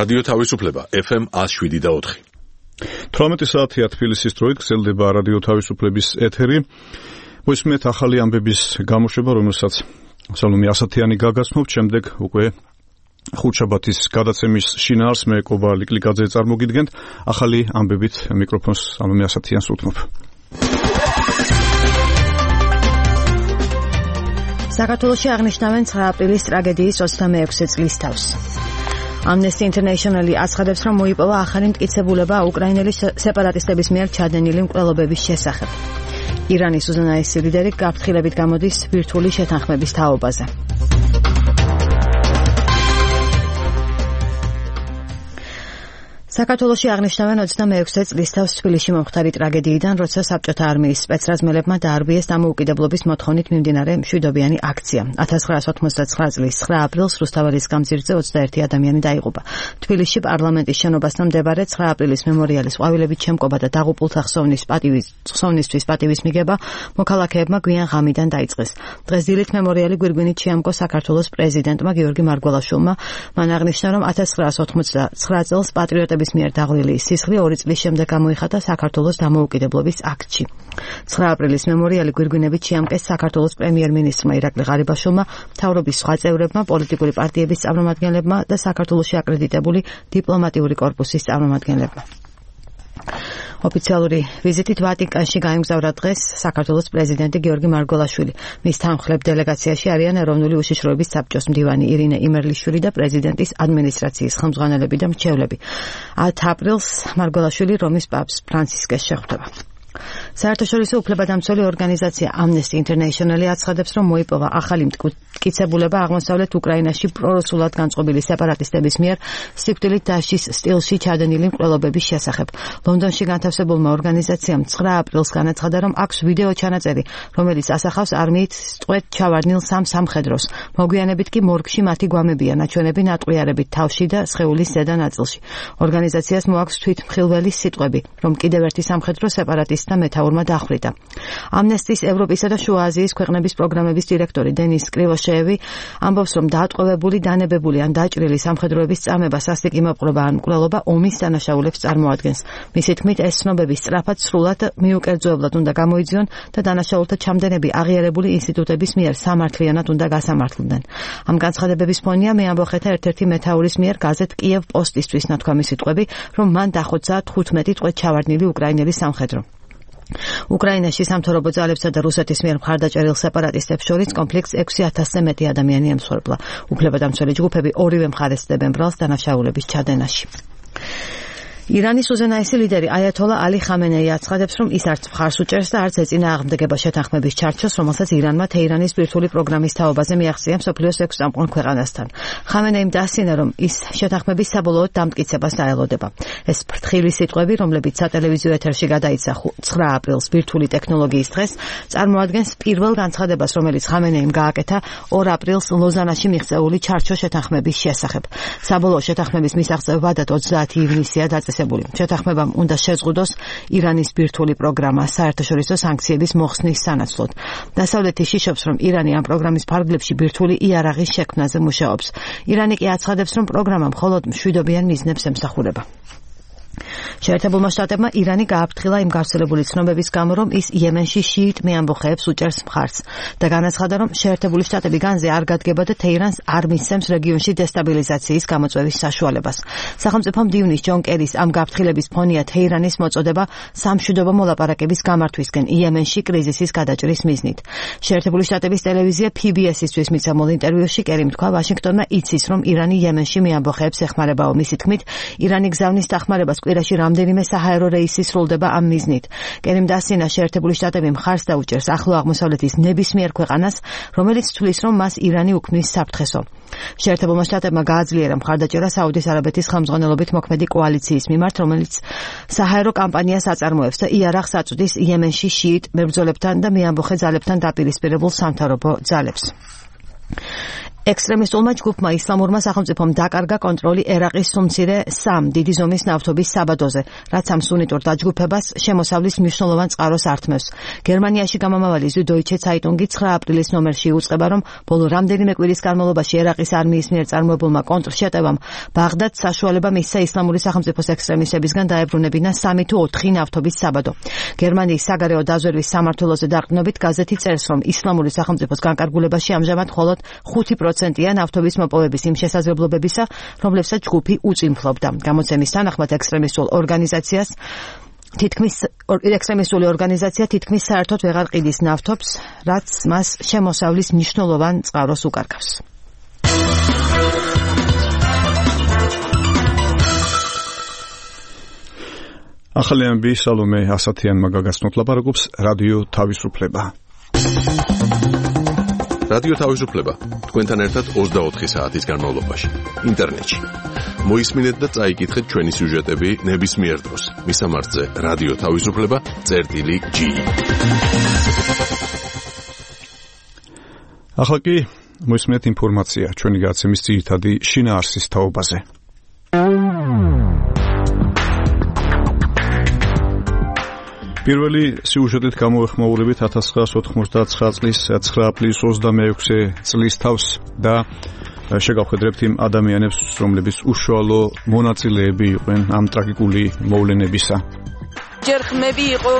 რადიო თავისუფლება FM 107.4. 18 საათია თბილისის დროით გრძელდება რადიო თავისუფლების ეთერი. მოისმენთ ახალი ამბების გამოშვება, რომელსაც სალომე ასათიანი გაგაცნობთ. შემდეგ უკვე ხუთშაბათის გადაცემის შინაარს მე კობა ლიკლიკაძე წარმოგიდგენთ. ახალი ამბებით მიკროფონს სალომე ასათიანს უთმობ. საქართველოში აღნიშნავენ 9 აპრილის ტრაგედიის 26 წლის თავს. Amnesty International აცხადებს, რომ მოიპოვა ახალი მტკიცებულება უკრაინელი სეპარატისტების მიერ ჩადენილი მკვლელობების შესახებ. ირანის უზენაესი ლიდერი გაფრთხილებით გამოდის ბირთვული შეთანხმების თაობაზე. საქართველოში აღნიშნავენ 26 წლის თავს თბილისში მომხდარი ტრაგედიიდან, როცა საბჭოთა არმიის სპეცრაზმელებმა დაარბიეს დამოუკიდებლობის მოთხოვნით მიმდინარე მშვიდობიანი აქცია. 1989 წლის 9 აპრილს რუსთაველის გამზირზე 21 ადამიანი დაიღუპა. თბილისში პარლამენტის შენობასთან მდებარე 9 აპრილის მემორიალის ყვავილებით შემკობა და დაღუპულთა ხსოვნისთვის პატივის მიგება მოქალაქეებმა გვიან ღამიდან დაიწყეს. დღეს დილით მემორიალი გვირგვინით შეამკო საქართველოს პრეზიდენტმა გიორგი მარგველაშვილმა. მან აღნიშნა, რომ 1989 წელს პატრიოტების მიერ დაღლილი სისხლი 2 წლის შემდეგ გამოიხატა საქართველოს დამოუკიდებლობის აქტში. 9 აპრილის მემორიალი გვირგვინებით შეამკეს საქართველოს პრემიერ-მინისტრმა ირაკლი ღარიბაშვილმა, მთავრობის სხვა წევრებმა, პოლიტიკური პარტიების წარმომადგენლებმა და საქართველოში აკრედიტებული დიპლომატიური კორპუსის წარმომადგენლებმა. ოფიციალური ვიზიტით ვატიკანში გაემგზავრა დღეს საქართველოს პრეზიდენტი გიორგი მარგველაშვილი. მის თანმხლებ დელეგაციაში არიან ეროვნული უშიშროების საბჭოს მდივანი ირინე იმერლიშვილი და პრეზიდენტის ადმინისტრაციის ხელმძღვანელები და მრჩევლები. 10 აპრილს მარგველაშვილი რომის პაპს ფრანცისკეს შეხვდება. საერთაშორისო უფლებადამცველი ორგანიზაცია Amnesty International აცხადებს, რომ მოიპოვა ახალი მტკიცებულება აღმოსავლეთ უკრაინაში პრორუსულად განწყობილი სეპარატისტების მიერ სიკვდილით დასჯის სტილში ჩადენილი მკვლელობების შესახებ. ლონდონში განთავსებულმა ორგანიზაციამ 9 აპრილს განაცხადა, რომ აქვს ვიდეო ჩანაწერი, რომელიც ასახავს არმიით სწვეთ ჩავარდნილ სამ სამხედროს. მოგვიანებით კი მორგში მათი გვამებია ნაჩვენები ნატყვიარებით თავში და სხეულის ზედა ნაწილში. ორგანიზაციას მოაქვს თვითმხილველი სიტყვები, რომ კიდევ ერთი სამხედრო სეპარატისტი და მეთაურმა დახვრიტა. ამნესტის ევროპისა და შუა აზიის ქვეყნების პროგრამების დირექტორი დენის კრივოშევი ამბობს, რომ დაატყვევებული, დანებებული ან დაჭრილი სამხედროების წამება, სასტიკი მოპყრობა ან მკვლელობა ომის დანაშაულებს წარმოადგენს. მისი თქმით, ეს ცნობები სწრაფად სრულად მიუკერძოებლად უნდა გამოიძიონ და დანაშაულთა ჩამდენები აღიარებული ინსტიტუტების მიერ სამართლიანად უნდა გასამართლდნენ. ამ განცხადებების ფონია მეამბოხეთა ერთ-ერთი მეთაურის მიერ გაზეთ კიევ პოსტისთვის ნათქვამი სიტყვები, რომ მან დახოცა 15 წვეთ ჩავარდნილი უკრაინელი სამხედრო. უკრაინაში სამთავრობო ძალებსა და რუსეთის მიერ მხარდაჭერილ სეპარატისტებს შორის კონფლიქტს 6000-ზე მეტი ადამიანი ემსხვერპლა. უფლებადამცველი ჯგუფები ორივე მხარეს ცდებენ ბრალს დანაშაულების ჩადენაში. ირანის უზენაესი ლიდერი აიათოლა ალი ხამენეი აცხადებს, რომ ის არც მხარს უჭერს და არც ეწინააღმდეგება შეთანხმების ჩარჩოს, რომელსაც ირანმა თეირანის ბირთვული პროგრამის თაობაზე მიაღწია მსოფლიოს 6 წამყვან ქვეყანასთან. ხამენეიმ დაასწინა, რომ ის შეთანხმების საბოლოოდ დამტკიცებას დაელოდება. ეს ფრთხილი სიტყვები, რომლებიც სატელევიზიო ეთერში გადაიცა 9 აპრილს ბირთვული ტექნოლოგიის დღეს, წარმოადგენს პირველ განცხადებას, რომელიც ხამენეიმ გააკეთა 2 აპრილს ლოზანაში მიღწეული ჩარჩოს შეთანხმების შესახებ. საბოლოო შეთანხმების მისაღწევ ვადად 30 ივნისია დაწესებული. შეთანხმებამ უნდა შეზღუდოს ირანის ბირთვული პროგრამა საერთაშორისო სანქციების მოხსნის სანაცვლოდ. დასავლეთი შიშობს, რომ ირანი ამ პროგრამის ფარგლებში ბირთვული იარაღის შექმნაზე მუშაობს. ირანი კი აცხადებს, რომ პროგრამა მხოლოდ მშვიდობიან მიზნებს ემსახურება. შეერთებულმა შტატებმა ირანი გააფრთხილა იმ გავრცელებული ცნობების გამო, რომ ის იემენში შიიტ მეამბოხეებს უჭერს მხარს და განაცხადა, რომ შეერთებული შტატები განზე არ გადგება და თეირანს არ მისცემს რეგიონში დესტაბილიზაციის გამოწვევის საშუალებას. სახელმწიფო მდივნის ჯონ კერის ამ გაფრთხილების ფონია თეირანის მოწოდება სამშვიდობო მოლაპარაკების გამართვისკენ იემენში კრიზისის გადაჭრის მიზნით. შეერთებული შტატების ტელევიზია PBS-ისთვის მიცემულ ინტერვიუში კერიმ თქვა, ვაშინგტონმა იცის, რომ ირანი იემენში მეამბოხეებს ეხმარებაო. მისი თქმით, ირანი გზავნის დახმარებას კვირაში რამდენიმე საჰაერო რეისი სრულდება ამ მიზნით. კერიმ დაასწინა, შეერთებული შტატები მხარს დაუჭერს ახლო აღმოსავლეთის ნებისმიერ ქვეყანას, რომელიც თვლის, რომ მას ირანი უქმნის საფრთხესო. შეერთებულმა შტატებმა გააძლიერა მხარდაჭერა საუდის არაბეთის ხელმძღვანელობით მოქმედი კოალიციის მიმართ, რომელიც საჰაერო კამპანიას აწარმოებს და იარაღს აწვდის იემენში შიიტ მებრძოლებთან და მეამბოხე ძალებთან დაპირისპირებულ სამთავრობო ძალებს. ექსტრემისტულმა ჯგუფმა ისლამურმა სახელმწიფომ დაკარგა კონტროლი ერაყის სუმცირე 3 დიდი ზომის ნავთობის საბადოზე, რაც ამ სუნიტურ დაჯგუფებას შემოსავლის მნიშვნელოვან წყაროს ართმევს. გერმანიაში გამომავალი Süddeutsche Zeitung 9 აპრილის ნომერში უწყება, რომ ბოლო რამდენიმე კვირის განმავლობაში ერაყის არმიის მიერ წარმოებულმა კონტრშეტევამ ბაღდადს საშუალება მისცა ისლამური სახელმწიფოს ექსტრემისტებისგან დაებრუნებინა 3 თუ 4 ნავთობის საბადო. გერმანიის საგარეო დაზვერვის სამმართველოზე დაყრდნობით გაზეთი წერს, რომ ისლამური სახელმწიფოს განკარგულებაში ამჟამად მხოლოდ 5%-ია ნავთობის მოპოვების იმ შესაძლებლობებისა, რომლებსაც ჯგუფი უწინფლობდა. გამოცემის თანახმად ექსტრემისტული ორგანიზაცია თითქმის საერთოდ ვეღარ ყიდის ნავთობს, რაც მას შემოსავლის მნიშვნელოვან წყაროს უკარგავს. ახალი ამბი სალომე ასათიანმა გაგაცნოთ, ლაპარაკობს რადიო თავისუფლება. რადიო თავისუფლება თქვენთან ერთად 24 საათის განმავლობაში ინტერნეტში. მოისმინეთ და წაიკითხეთ ჩვენი სიუჟეტები ნებისმიერ დროს. მისამართზე რადიო თავისუფლება.gi. ახლა კი მოისმინეთ ინფორმაცია ჩვენი გადაცემის ძირითადი შინაარსის თაობაზე. პირველი სიუჟეტით გამოეხმაურებით 1999 წლის 9 აპრილის 26 წლის თავს და შეგავხედრებთ იმ ადამიანებს, რომლებიც უშუალო მონაწილეები იყვნენ ამ ტრაგიკული მოვლენებისა. ჯერ ხმები იყო,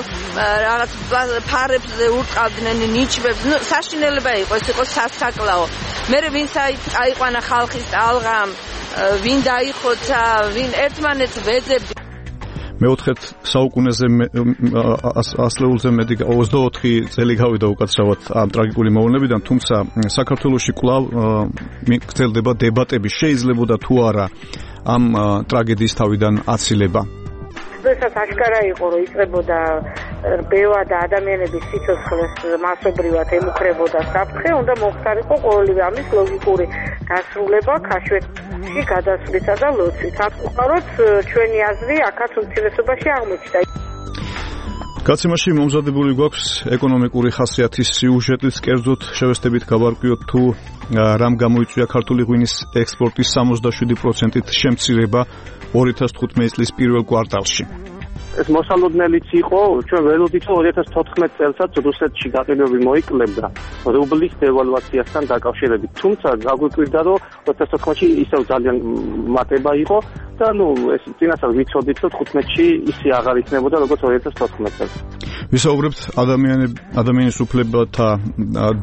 რაღაც ფარებზე ურტყავდნენ ნიჩბებს, საშინელება იყო, ეს იყო სასაკლაო. მე ვინც აიყვანა ხალხის ალღა, ვინ დაიხოცა, ვინ ერთმანეთს ვეძებდი. მეოთხეთ საუკუნეზე ასლეულზე მეტი 24 წელი გავიდა უკაცრავად ამ ტრაგიკული მოვლენებიდან, თუმცა საქართველოში კვლავ გრძელდება დებატები, შეიძლებოდა თუ არა ამ ტრაგედიის თავიდან აცილება. როდესაც აშკარა იყო, რომ იწყებოდა ბევა და ადამიანების სიცოცხლეს მასობრივად ემუქრებოდა საფრთხე, უნდა მოხდარიყო ყოველივე ამის ლოგიკური დასრულება ქაშვეთში გადასვლისა და ლოცვით. აკუხაროთ ჩვენი აზრი აქაც უმცირესობაში აღმოჩნდა. გაცემაში მომზადებული გვაქვს ეკონომიკური ხასიათის სიუჟეტიც, კერძოდ შევესწრებით გავარკვიოთ თუ რამ გამოიწვია ქართული ღვინის ექსპორტის 67%-ით შემცირება 2015 წლის პირველ კვარტალში. ეს მოსალოდნელიც იყო, ჩვენ ველოდით 2014 წელსაც რუსეთში გაყიდვები მოიკლებდა რუბლის დევალვაციასთან დაკავშირებით. თუმცა გაგვიკვირდა, რომ 2014-ში ისევ ძალიან მატება იყო და ეს წინასწარ ვიცოდით, რომ 15-ში ისე აღარ იქნებოდა, როგორც 2014 წელს. ვისაუბრებთ ადამიანის უფლებათა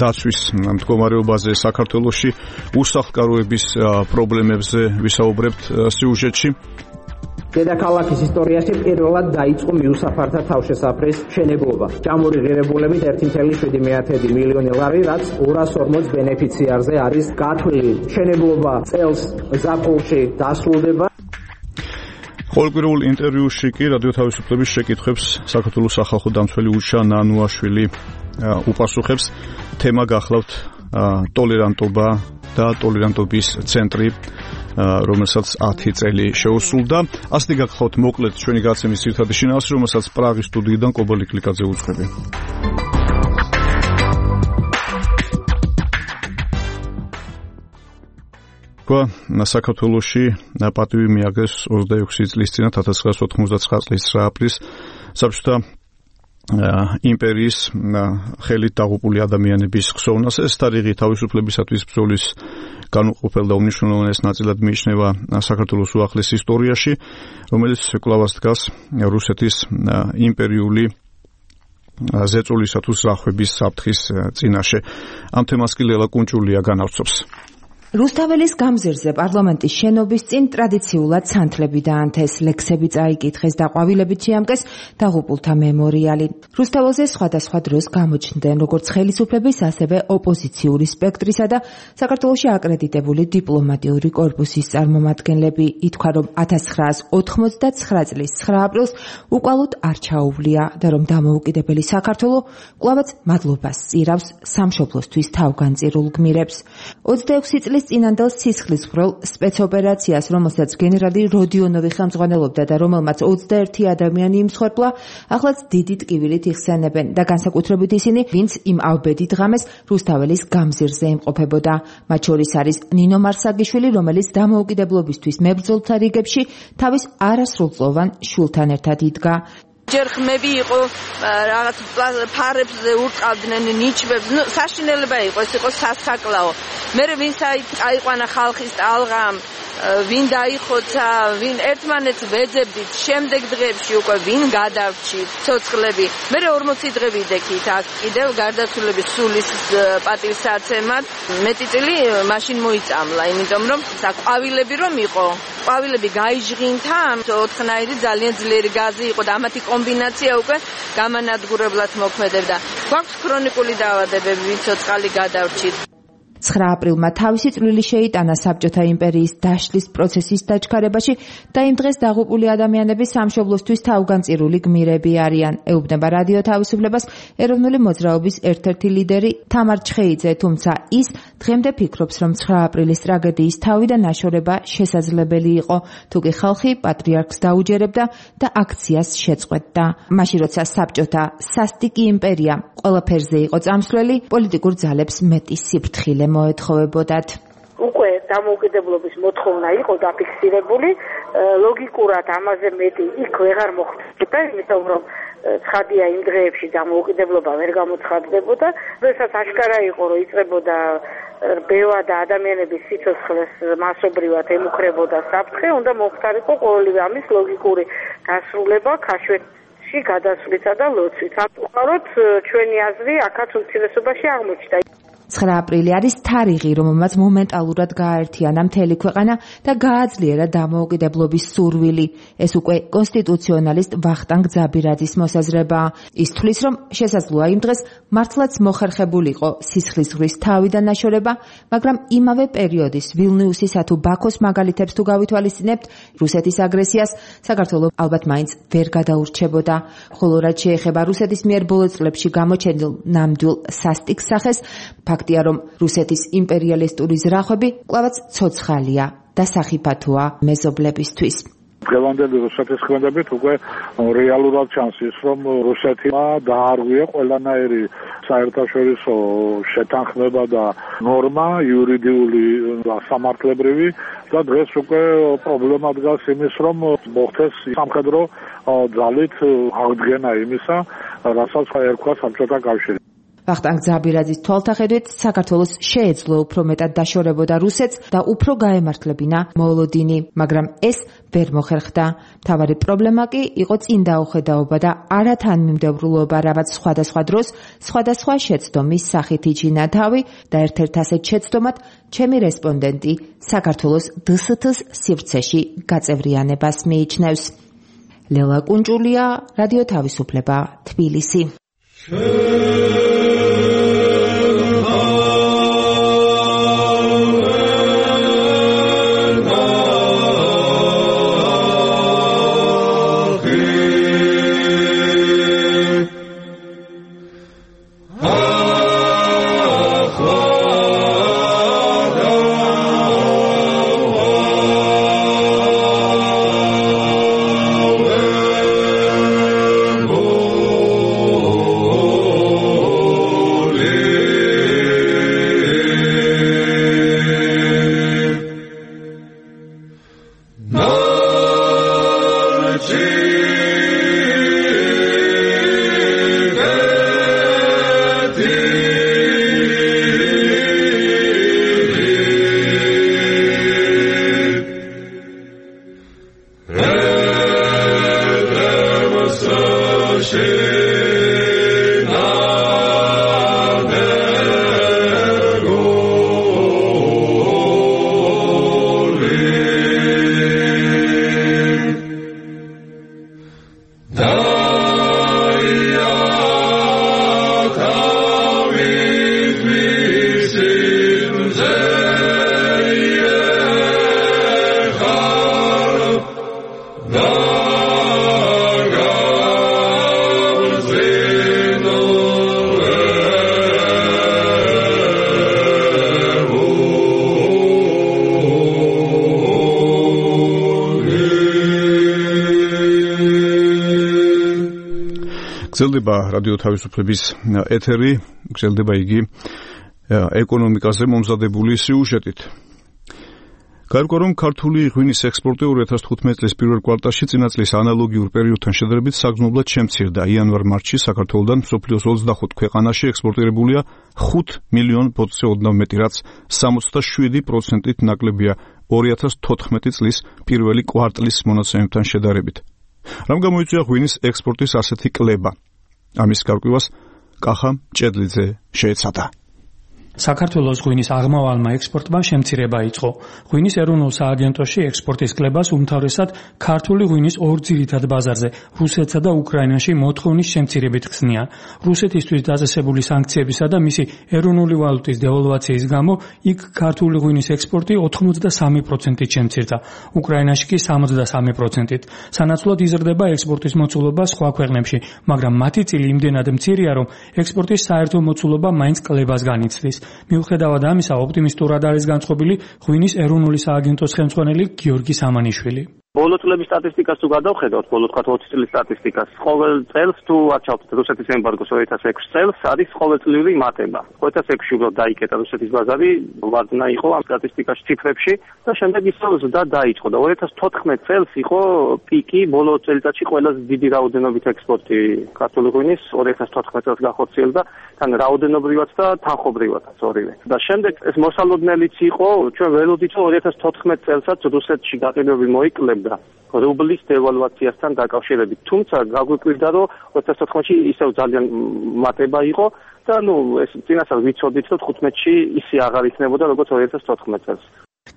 დაცვის მდგომარეობაზე საქართველოში, უსახლკაროების პრობლემებზე ვისაუბრებთ სიუჟეტში. დედაქალაქის ისტორიაში პირველად დაიწყო მიუსაფართა თავშესაფრის მშენებლობა. ჯამური ღირებულებით 1.7 მილიონი ლარი, რაც 240 ბენეფიციარზე არის გათვლილი. მშენებლობა წელს ზაფხულში დასრულდება. ყოველკვირეულ ინტერვიუში კი რადიო თავისუფლების შეკითხვებს საქართველოს სახალხო დამცველი უშა ნანუაშვილი უპასუხებს. თემა გახლავთ ტოლერანტობა და ტოლერანტობის ცენტრი, რომელსაც 10 წელი შეუსრულდა. ასეთი გახლავთ მოკლედ ჩვენი გადაცემის ძირითადი შინაარსი, რომელსაც პრაღის სტუდიიდან კობალი კლიკაძე უძღვები. საქართველოში პატივი მიაგეს 26 წლის წინათ 1999 წლის 9 აპრილის საბჭოთა იმპერიის ხელით დაღუპული ადამიანების ხსოვნას. ეს თარიღი თავისუფლებისათვის ბრძოლის განუყოფელ და უმნიშვნელოვანეს ნაწილად მიიჩნევა საქართველოს უახლეს ისტორიაში, რომელიც კვლავ დგას რუსეთის იმპერიული ზეწოლისა თუ ზრახვების საფრთხის წინაშე. ამ თემას კი ლელა კუნჭულია განავრცობს. რუსთაველის გამზირზე პარლამენტის შენობის წინ ტრადიციულად სანთლები დაანთეს, ლექსები წაიკითხეს და ყვავილებით შეამკეს დაღუპულთა მემორიალი. რუსთაველზე სხვადასხვა დროს გამოჩნდნენ როგორც ხელისუფლების, ასევე ოპოზიციური სპექტრისა და საქართველოში აკრედიტებული დიპლომატიური კორპუსის წარმომადგენლები. ითქვა, რომ 1989 წლის 9 აპრილს უკვალოდ არ ჩაუვლია და რომ დამოუკიდებელი საქართველო კვლავაც მადლობას სწირავს სამშობლოსთვის თავგანწირულ გმირებს. 26 წლის წლის წინანდელ სისხლისღვრელ სპეცოპერაციას, რომელსაც გენერალი როდიონოვი ხელმძღვანელობდა და რომელმაც 21 ადამიანი იმსხვერპლა, ახლაც დიდი ტკივილით იხსენებენ და განსაკუთრებით ისინი, ვინც იმ ავბედით ღამეს რუსთაველის გამზირზე იმყოფებოდა. მათ შორის არის ნინო მარსაგიშვილი, რომელიც დამოუკიდებლობისთვის მებრძოლთა რიგებში თავის არასრულწლოვან შვილთან ერთად იდგა. ჯერ ხმები იყო რაღაც ფარებზე ურტყავდნენ ნიჩბებს, საშინელება იყო, ეს იყო სასაკლაო. მე ვინც აიყვანა ხალხის ტალღამ, ვინ დაიხოცა, ვინ ერთმანეთს ვეძებდით, შემდეგ დღეებში უკვე ვინ გადავრჩით ცოცხლები. მე 40 დღე ვიდექით აქ კიდევ გარდაცვლილების სულის პატივსაცემად. მეტი წილი მაშინ მოიწამლა, იმიტომ რომ ყვავილები რომ იყო. ყვავილები გაიჟღინთა, 4-ნაირი ძალიან ძლიერი გაზი იყო და ამათი კომბინაცია უკვე გამანადგურებლად მოქმედებდა. გვაქვს ქრონიკული დაავადებები, ვინ ცოცხალი გადავრჩით. 9 აპრილმა თავისი წვლილი შეიტანა საბჭოთა იმპერიის დაშლის პროცესის დაჩქარებაში და იმ დღეს დაღუპული ადამიანები სამშობლოსთვის თავგანწირული გმირები არიან. ეუბნება რადიო თავისუფლებას ეროვნული მოძრაობის ერთ-ერთი ლიდერი თამარ ჩხეიძე, თუმცა ის დღემდე ფიქრობს, რომ 9 აპრილის ტრაგედიის თავი და ნაშორება შესაძლებელი იყო, თუკი ხალხი პატრიარქს დაუჯერებდა და აქციას შეწყვეტდა. მაშინ როცა საბჭოთა სასტიკი იმპერია ყველაფერზე იყო წამსვლელი, პოლიტიკურ ძალებს მეტი სიფრთხილე მოეთხოვებოდათ. უკვე დამოუკიდებლობის მოთხოვნა იყო დაფიქსირებული, ლოგიკურად ამაზე მეტი იქ ვეღარ მოხდებოდა, იმიტომ რომ ცხადია იმ დღეებში დამოუკიდებლობა ვერ გამოცხადდებოდა, როდესაც აშკარა იყო, რომ იწყებოდა რბევა და ადამიანების სიცოცხლეს მასობრივად ემუქრებოდა საფრთხე, უნდა მოხდარიყო ყოველივე ამის ლოგიკური დასრულება ქაშვეთში გადასვლისა და ლოცვით. სამწუხაროდ ჩვენი აზრი აქაც უმცირესობაში აღმოჩნდა. 9 აპრილი არის თარიღი, რომელმაც მომენტალურად გააერთიანა მთელი ქვეყანა და გააძლიერა დამოუკიდებლობის სურვილი. ეს უკვე კონსტიტუციონალისტ ვახტანგ ძაბირაძის მოსაზრებაა. ის თვლის, რომ შესაძლოა იმ დღეს მართლაც მოხერხებულიყო სისხლისღვრის თავი და ნაშორება, მაგრამ იმავე პერიოდის ვილნიუსისა თუ ბაქოს მაგალითებს თუ გავითვალისწინებთ, რუსეთის აგრესიას საქართველო ალბათ მაინც ვერ გადაურჩებოდა. ხოლო რაც შეეხება რუსეთის მიერ ბოლო წლებში გამოჩენილ ნამდვილ სასტიკ სახეს, ფაქტია, რომ რუსეთის იმპერიალისტური ზრახვები კვლავაც ცოცხალია და სახიფათოა მეზობლებისთვის. დღევანდელი რუსეთის ქმედებით უკვე რეალურად ჩანს ის, რომ რუსეთმა დაარღვია ყველანაირი საერთაშორისო შეთანხმება და ნორმა იურიდიული და სამართლებრივი და დღეს უკვე პრობლემა დგას იმის, რომ მოხდეს სამხედრო ძალით აღდგენა იმისა, რასაც ერქვა საბჭოთა კავშირი. ვახტანგ ძაბირაძის თვალთახედვით საქართველოს შეეძლო უფრო მეტად დაშორებოდა რუსეთს და უფრო გაემართლებინა მოლოდინი, მაგრამ ეს ვერ მოხერხდა. მთავარი პრობლემა კი იყო წინ დაუხედაობა და არათანმიმდევრულობა, რამაც სხვადასხვა დროს სხვადასხვა შეცდომის სახით იჩინა თავი და ერთ-ერთ ასეთ შეცდომად ჩემი რესპონდენტი საქართველოს დსთ-ს სივრცეში გაწევრიანებას მიიჩნევს. ლელა კუნჭულია, რადიო თავისუფლება, თბილისი. გრძელდება რადიო თავისუფლების ეთერი, გრძელდება იგი ეკონომიკაზე მომზადებული სიუჟეტით. გარკვეულ რომ ქართული ღვინის ექსპორტი 2015 წლის პირველ კვარტალში წინა წლის ანალოგიურ პერიოდთან შედარებით საგრძნობლად შემცირდა. იანვარ-მარტში საქართველოდან მსოფლიოს 25 ქვეყანაში ექსპორტირებულია 5 მილიონ ბოძზე ოდნავ მეტი, რაც 67%-ით ნაკლებია 2014 წლის პირველი კვარტლის მონაცემებთან შედარებით. რამ გამოიწვია ღვინის ექსპორტის ასეთი კლება? ამის გარკვევას კახა ჭედლიძე შეეცადა. საქართველოს ღვინის აღმავალმა ექსპორტმა შემცირება იწყო. ღვინის ეროვნულ სააგენტოში ექსპორტის კლებას უმთავრესად ქართული ღვინის ორ ძირითად ბაზარზე, რუსეთსა და უკრაინაში მოთხოვნის შემცირებით ხსნიან. რუსეთისთვის დაწესებული სანქციებისა და მისი ეროვნული ვალუტის დევალვაციის გამო იქ ქართული ღვინის ექსპორტი 83%-ით შემცირდა, უკრაინაში კი 73%-ით. სანაცვლოდ იზრდება ექსპორტის მოცულობა სხვა ქვეყნებში, მაგრამ მათი წილი იმდენად მცირეა, რომ ექსპორტის საერთო მოცულობა მაინც კლებას განიცდის. მიუხედავად ამისა, ოპტიმისტურად არის განწყობილი ღვინის ეროვნული სააგენტოს ხელმძღვანელი გიორგი სამანიშვილი. ბოლო წლების სტატისტიკას თუ გადავხედავთ, ბოლო 20 წლის სტატისტიკას, ყოველ წელს თუ აჩავთ რუსეთის ემბარგოს 2006 წელს არის ყოველწლიური მატება. 2006-ში უბრალოდ დაიკეტა რუსეთის ბაზარი, ვარდნა იყო ამ სტატისტიკაში ციფრებში და შემდეგ ისევ ზრდა დაიწყო და 2014 წელს იყო პიკი, ბოლო წელიწადში ყველაზე დიდი რაოდენობით ექსპორტი ქართული ღვინის 2014 წელს გახორციელდა, თან რაოდენობრივად და თანხობრივადაც ორივე. და შემდეგ ეს მოსალოდნელიც იყო, ჩვენ ველოდით რომ 2014 წელსაც რუსეთში გაყიდვები მოიკლებდა რუბლის დევალვაციასთან დაკავშირებით. თუმცა გაგვიკვირდა, რომ 2014-ში ისევ ძალიან მატება იყო და ეს წინასწარ ვიცოდით, რომ 15-ში ისე აღარ იქნებოდა, როგორც 2014 წელს.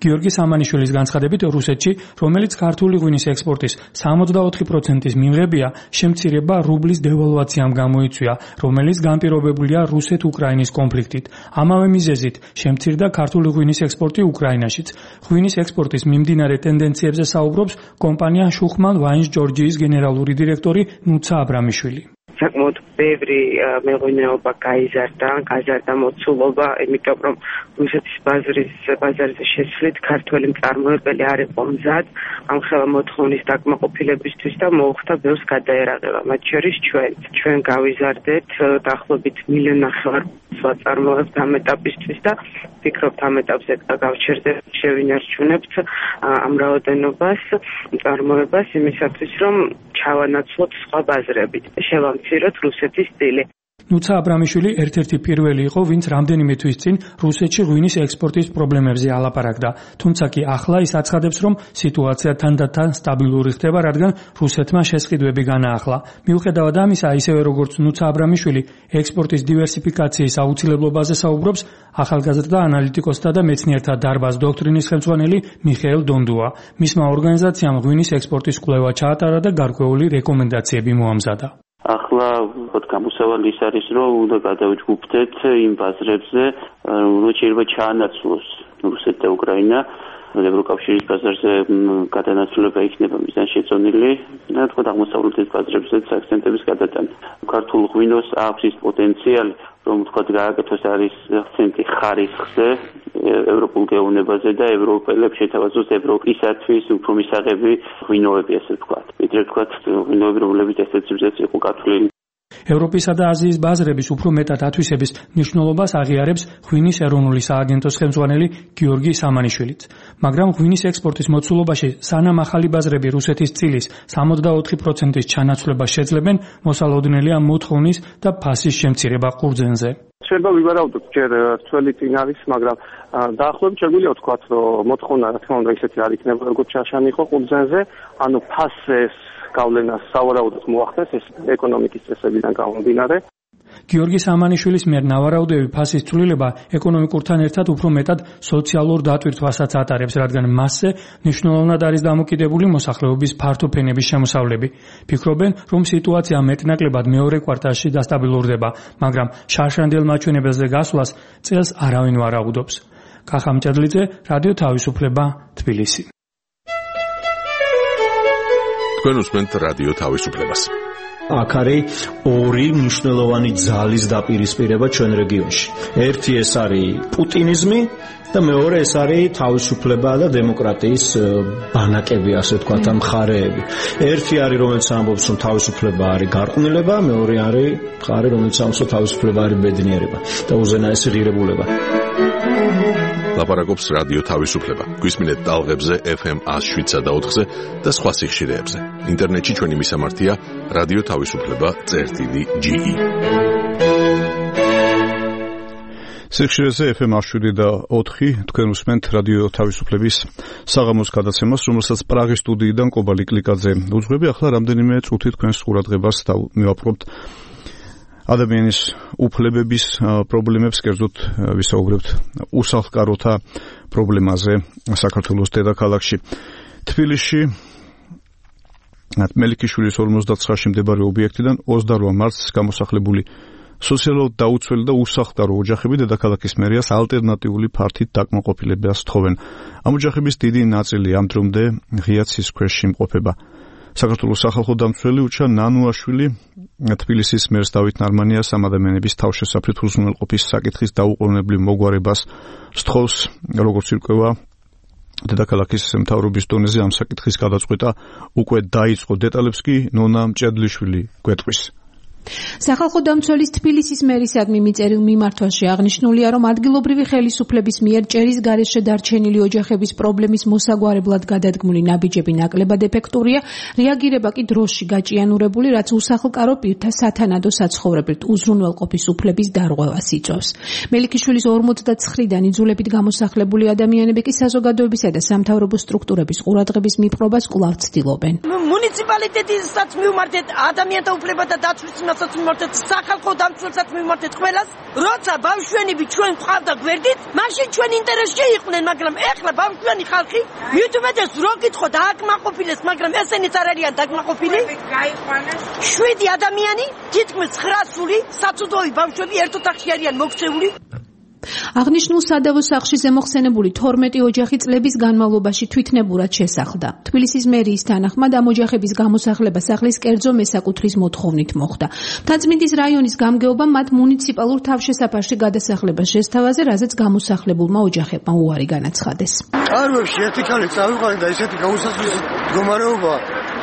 გიორგი სამანიშვილის განცხადებით, რუსეთში, რომელიც ქართული ღვინის ექსპორტის 74%-ის მიმღებია, შემცირება რუბლის დევალვაციამ გამოიწვია, რომელიც განპირობებულია რუსეთ-უკრაინის კონფლიქტით. ამავე მიზეზით შემცირდა ქართული ღვინის ექსპორტი უკრაინაშიც. ღვინის ექსპორტის მიმდინარე ტენდენციებზე საუბრობს კომპანია შუხმან ვაინს ჯორჯიის გენერალური დირექტორი ნუცა აბრამიშვილი. საკმაოდ ბევრი მეღვინეობა გაიზარდა მოცულობა, იმიტომ რომ რუსეთის ბაზარზე შესვლით ქართველი მწარმოებელი არ იყო მზად ამ ხელა მოთხოვნის დაკმაყოფილებისთვის და მოუხდა ბევრს გადაერაღება. მათ შორის ჩვენ გავიზარდეთ დაახლოებით 1.5 მილიონი ვაწარმოებთ ამ ეტაპისთვის და ვფიქრობთ ამ ეტაპზე გავჩერდებით, შევინარჩუნებთ ამ რაოდენობას, მწარმოებას იმისათვის, რომ ჩავანაცვლოთ სხვა ბაზრებით. შევამციროთ რუსეთის სტილი. ნუცა აბრამიშვილი ერთ-ერთი პირველი იყო, ვინც რამდენიმე თვის წინ რუსეთში ღვინის ექსპორტის პრობლემებზე ალაპარაკდა. თუმცა კი ახლა ის აცხადებს, რომ სიტუაცია თანდათან სტაბილური ხდება, რადგან რუსეთმა შესყიდვები განაახლა. მიუხედავად ამისა, ისევე როგორც ნუცა აბრამიშვილი ექსპორტის დივერსიფიკაციის აუცილებლობაზე საუბრობს ახალგაზრდა ანალიტიკოსთა და მეცნიერთა დარბაზ დოქტრინის ხელმძღვანელი მიხეილ დონდუა. მისმა ორგანიზაციამ ღვინის ექსპორტის კვლევა ჩაატარა და გარკვეული რეკომენდაციები მოამზადა. ახლა გამოსავალი ის არის, რომ უნდა გადავიჯგუფდეთ იმ ბაზრებზე, რომ შეიძლება ჩაანაცვლოს რუსეთი და უკრაინა. ევროკავშირის ბაზარზე გადანაცვლება იქნება მიზანშეწონილი და თქო აღმოსავლეთის ბაზრებზეც აქცენტების გადატანა. ქართულ ღვინოს აქვს ის პოტენციალი, რომ თქო გააკეთოს არის აქცენტი ხარისხზე, ევროპულ გეოვნებაზე და ევროპელებს შეთავაზოს ევროპისათვის უფრო მისაღები ღვინოები, ასე ვთქვათ. ვიდრე ვთქვათ ღვინოები, რომლებიც ესეცებზეც იყო გათვლილი. ევროპისა და აზიის ბაზრების უფრო მეტად ათვისების მნიშვნელობას აღიარებს ღვინის ეროვნული სააგენტოს ხელმძღვანელი გიორგი სამანიშვილიც. მაგრამ ღვინის ექსპორტის მოცულობაში სანამ ახალი ბაზრები რუსეთის წილის 74%-ის ჩანაცვლებას შეძლებენ, მოსალოდნელია მოთხოვნის და ფასის შემცირება ყურძენზე. შეიძლება ვივარაუდოთ, ჯერ ცველი წინ არის, მაგრამ დაახლოებით შეგვიძლია ვთქვათ, რომ მოთხოვნა რა თქმა უნდა ისეთი არ იქნება, როგორც ჩაშანი იყო ყურძენზე, ანუ ფასეს გავლენას სავარაუდოდ მოახდენს ეს ეკონომიკის წესებიდან გამომდინარე. გიორგი სამანიშვილის მიერ ნავარაუდები ფასის ცვლილება ეკონომიკურთან ერთად უფრო მეტად სოციალურ დატვირთვასაც ატარებს, რადგან მასზე მნიშვნელოვნად არის დამოკიდებული მოსახლეობის ფართოფენების შემოსავლები. ფიქრობენ, რომ სიტუაცია მეტნაკლებად მეორე კვარტალში დასტაბილურდება, მაგრამ შარშანდელ მაჩვენებელზე გასვლას წელს არავინ ვარაუდობს. კახა ჭედლიძე, რადიო თავისუფლება, თბილისი. თქვენ უსმენთ რადიო თავისუფლებას. აქ არის ორი მნიშვნელოვანი ძალის დაპირისპირება ჩვენ რეგიონში. ერთი ეს არის პუტინიზმი და მეორე ეს არის თავისუფლება და დემოკრატიის ბანაკები, ასე ვთქვათ, მხარეები. ერთი არის, რომელიც ამბობს, რომ თავისუფლება არის გარყვნილება, მეორე არის მხარე, რომელიც ამბობს, რომ თავისუფლება არის ბედნიერება და უზენაესი ღირებულება. ლაპარაკობს რადიო თავისუფლება. გვისმინეთ ტალღებზე FM 107.4-ზე და სხვა სიხშირეებზე. ინტერნეტში ჩვენი მისამართია რადიო თავისუფლება.ge. სიხშირეზე FM 107.4 თქვენ უსმენთ რადიო თავისუფლების საღამოს გადაცემას, რომელსაც პრაღის სტუდიიდან კობალი კლიკაძე უძღვები. ახლა რამდენიმე წუთი თქვენს ყურადღებას მივაპყრობთ ადამიანის უფლებების პრობლემებს, კერძოდ ვისაუბრებთ უსახლკაროთა პრობლემაზე საქართველოს დედაქალაქში. თბილისში მელიქიშვილის 59-ში მდებარე ობიექტიდან 28 მარტს გამოსახლებული სოციალურად დაუცველი და უსახლკარო ოჯახები დედაქალაქის მერიას ალტერნატიული ფართით დაკმაყოფილებას თხოვენ. ამ ოჯახების დიდი ნაწილი ამ დრომდე ღია ცის ქვეშ იმყოფება. საქართველოს სახალხო დამცველი უჩა ნანუაშვილი თბილისის მერს დავით ნარმანიას ამ ადამიანების თავშესაფრით უზრუნველყოფის საკითხის დაუყოვნებლივ მოგვარებას სთხოვს. როგორც ირკვევა, დედაქალაქის მთავრობის დონეზე ამ საკითხის გადაწყვეტა უკვე დაიწყო. დეტალებს კი ნონა მჭედლიშვილი გვეტყვის. სახალხო დამცველის თბილისის მერისადმი მიწერილ მიმართვაში აღნიშნულია, რომ ადგილობრივი ხელისუფლების მიერ ჭერის გარეშე დარჩენილი ოჯახების პრობლემის მოსაგვარებლად გადადგმული ნაბიჯები ნაკლებად ეფექტურია, რეაგირება კი დროში გაჭიანურებული, რაც უსახლკარო პირთა სათანადო საცხოვრებლით უზრუნველყოფის უფლების დარღვევას იწვევს. მელიქიშვილის 49-დან იძულებით გამოსახლებული ადამიანები კი საზოგადოებისა და სამთავრობო სტრუქტურების ყურადღების მიპყრობას კვლავ ცდილობენ. მუნიციპალიტეტისაც მივმართეთ ადამიანთა უფლებათა დაცვის მასაც მივმართეთ სახალხო დამცველსაც მივმართეთ ყველას, როცა ბავშვენები ჩვენ ყავდა გვერდით, მაშინ ჩვენ ინტერესში იყვნენ, მაგრამ ეხლა ბავშვენი ხალხი მით უმეტეს რო გითხოთ აკმაყოფილეს, მაგრამ ესენიც არ არიან დაკმაყოფილი. 7 ადამიანი, თითქმის 900 საცუდოი ბავშვები ერთ ოთახში არიან მოქცეული. აღნიშნულ სადავო სახლში ზემოხსენებული 12 ოჯახი წლების განმავლობაში თვითნებურად შესახლდა. თბილისის მერიის თანახმად ამ ოჯახების გამოსახლება სახლის კერძო მესაკუთრის მოთხოვნით მოხდა. მთაწმინდის რაიონის გამგეობამ მათ მუნიციპალურ თავშესაფარში გადასახლება შესთავაზე, რაზეც გამოსახლებულმა ოჯახებმა უარი განაცხადეს. კარვებში ერთი ქალი წავიყვანე და ისეთი გამოსახლის მდგომარეობა.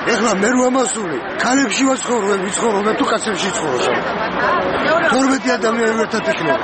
ეხლა მე რამასული ქალებში ვაცხოვრობ, ვიცხოვრობ თუ კაცებში ცხოვრობ. 12 ადამიანი ერთად იქნება.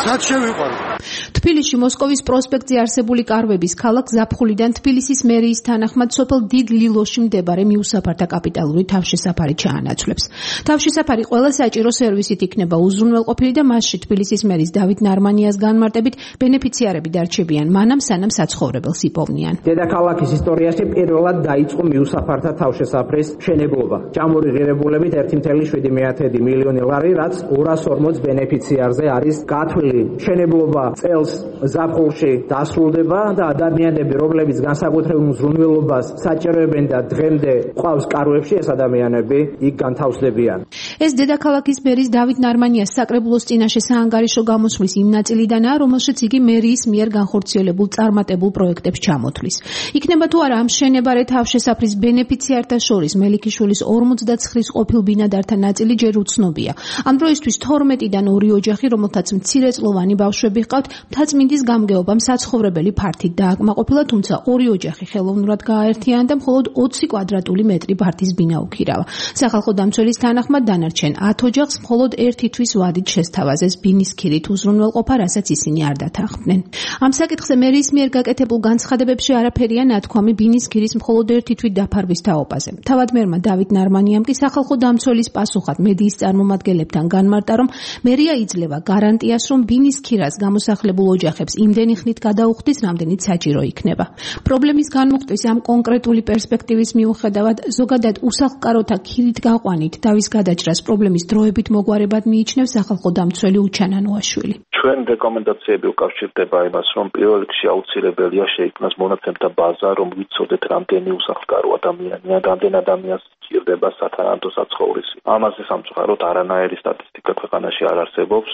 სად შევიყვანო? თბილისში მოსკოვის პროსპექტზე არსებული კარვების ქალაქ ზაფხულიდან თბილისის მერიის თანახმად სოფელ დიდ ლილოში მდებარე მიუსაფართა კაპიტალური თავშესაფარი ჩაანაცვლებს. თავშესაფარი ყველა საჭირო სერვისით იქნება უზრუნველყოფილი და მასში თბილისის მერის დავით ნარმანიას განმარტებით ბენეფიციარები დარჩებიან მანამ სანამ საცხოვრებელს იპოვნიან. დედაქალაქის ისტორიაში პირველად დაიწყო მიუსაფართა თავშესაფრის მშენებლობა. ჭამური ღირებულებით 1.7 მილიონი ლარი, რაც 240 ბენეფიციარზე არის გათვლილი. მშენებლობა წელს ზაფხულში დასრულდება და ადამიანები, რომლებიც განსაკუთრებულ უზრუნველობას საჭიროებენ და დღემდე ყავს კარვებში, ეს ადამიანები იქ განთავსდებიან. ეს დედაქალაქის მერის დავით ნარმანიას საკრებულოს წინაშე საანგარიშო გამოსვლის იმ ნაწილიდანაა, რომელშიც იგი მერიის მიერ განხორციელებულ წარმატებულ პროექტებს ჩამოთვლის. იქნება თუ არა ამ მშენებარე თავშესაფრის ბენეფიციართა შორის მელიქიშვილის 49 ყოფილ ბინადართა ნაწილი ჯერ უცნობია. ამ დროისთვის 12-დან 2 ოჯახი, რომელთაც მცირეწლოვანი ბავშვები ჰყავთ, მთაწმინდის გამგეობამ საცხოვრებელი ფართით დააკმაყოფილა, თუმცა 2 ოჯახი ხელოვნურად გააერთიანა და მხოლოდ 20 კვადრატული მეტრი ფართის ბინა უქირავა. სახალხო დამცველის თანახმად დანარჩენ 10 ოჯახს მხოლოდ ერთი თვის ვადით შესთავაზეს ბინის ქირით უზრუნველყოფა, რასაც ისინი არ დათანხმდნენ. ამ საკითხზე მერიის მიერ გაკეთებულ განცხადებებში არაფერია ნათქვამი ბინის ქირის მხოლოდ ერთი თვით დაფარვის თაობაზე. თავადმერმა დავით ნარმანიამ კი სახალხო დამცველის პასუხად მედიის წარმომადგენლებთან განმარტა, რომ მერია იძლევა გარანტიას, რომ ბინის ქირას გამოსახლებულ ოჯახებს იმდენი ხნით გადაუხდის, რამდენიც საჭირო იქნება. პრობლემის განმუხტვის ამ კონკრეტული პერსპექტივის მიუხედავად, ზოგადად უსახლკაროთა ქირით გაყვანით დავის გადაჭრას პრობლემის დროებით მოგვარებად მიიჩნევს სახალხო დამცველი უჩა ნანუაშვილი. ჩვენ რეკომენდაციები უკავშირდება იმას, რომ პირველ რიგში აუცილებელია შეიქმნას მონაცემთა ბაზა, რომ ვიცოდეთ რამდენი უსახლკარო ადამიანია, რამდენ ადამიანს ჭირდება სათანადო საცხოვრისი. ამაზე სამწუხაროდ არანაირი სტატისტიკა ქვეყანაში არ არსებობს.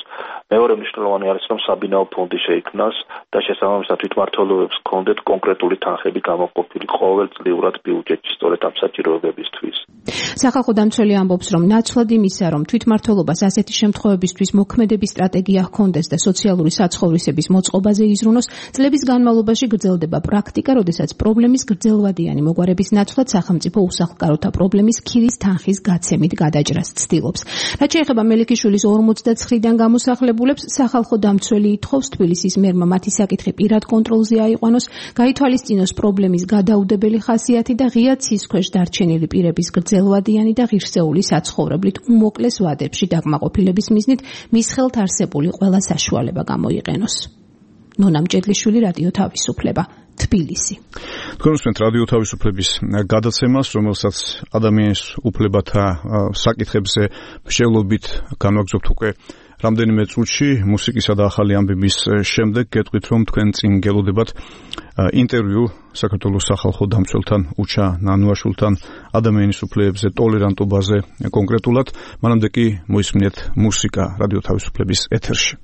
მეორე მნიშვნელოვანი არის, რომ საბინაო ფონდი შეიქმნას და შესაბამისად თვითმმართველობებს ჰქონდეთ კონკრეტული თანხები გამოყოფილი ყოველწლიურად ბიუჯეტში სწორედ ამ საჭიროებებისთვის. სახალხო დამცველი ამბობს, რომ ნაცვლად იმისა, რომ თვითმმართველობას ასეთი შემთხვევებისთვის მოქმედების სტრატეგია ჰქონდეს და სოციალური საცხოვრისების მოწყობაზე იზრუნოს, წლების განმავლობაში გრძელდება პრაქტიკა, როდესაც პრობლემის გრძელვადიანი მოგვარების ნაცვლად სახელმწიფო უსახლკაროთა პრობლემის ქირის თანხის გაცემით გადაჭრას ცდილობს. რაც შეეხება მელიქიშვილის 49-დან გამოსახლებულებს, სახალხო დამცველი ითხოვს თბილისის მერმა მათი საკითხი პირად კონტროლზე აიყვანოს, გაითვალისწინოს პრობლემის გადაუდებელი ხასიათი და ღია ცის ქვეშ დარჩენილი პირების გრძელვადიანი და ღირსეული საცხოვრებლით უმოკლეს ვადებში დაკმაყოფილების მიზნით მის ხელთ არსებული ყველა საშუალება გამოიყენოს. ნონა მჭედლიშვილი, რადიო თავისუფლება, თბილისი. თქვენ უსმენთ რადიო თავისუფლების გადაცემას, რომელსაც ადამიანის უფლებათა საკითხებზე მსჯელობით განვაგრძობთ უკვე რამდენიმე წუთში. მუსიკისა და ახალი ამბების შემდეგ გეტყვით, რომ თქვენ წინ გელოდებათ ინტერვიუ საქართველოს სახალხო დამცველთან უჩა ნანუაშვილთან ადამიანის უფლებებზე, ტოლერანტობაზე კონკრეტულად. მანამდე კი მოისმინეთ მუსიკა რადიო თავისუფლების ეთერში.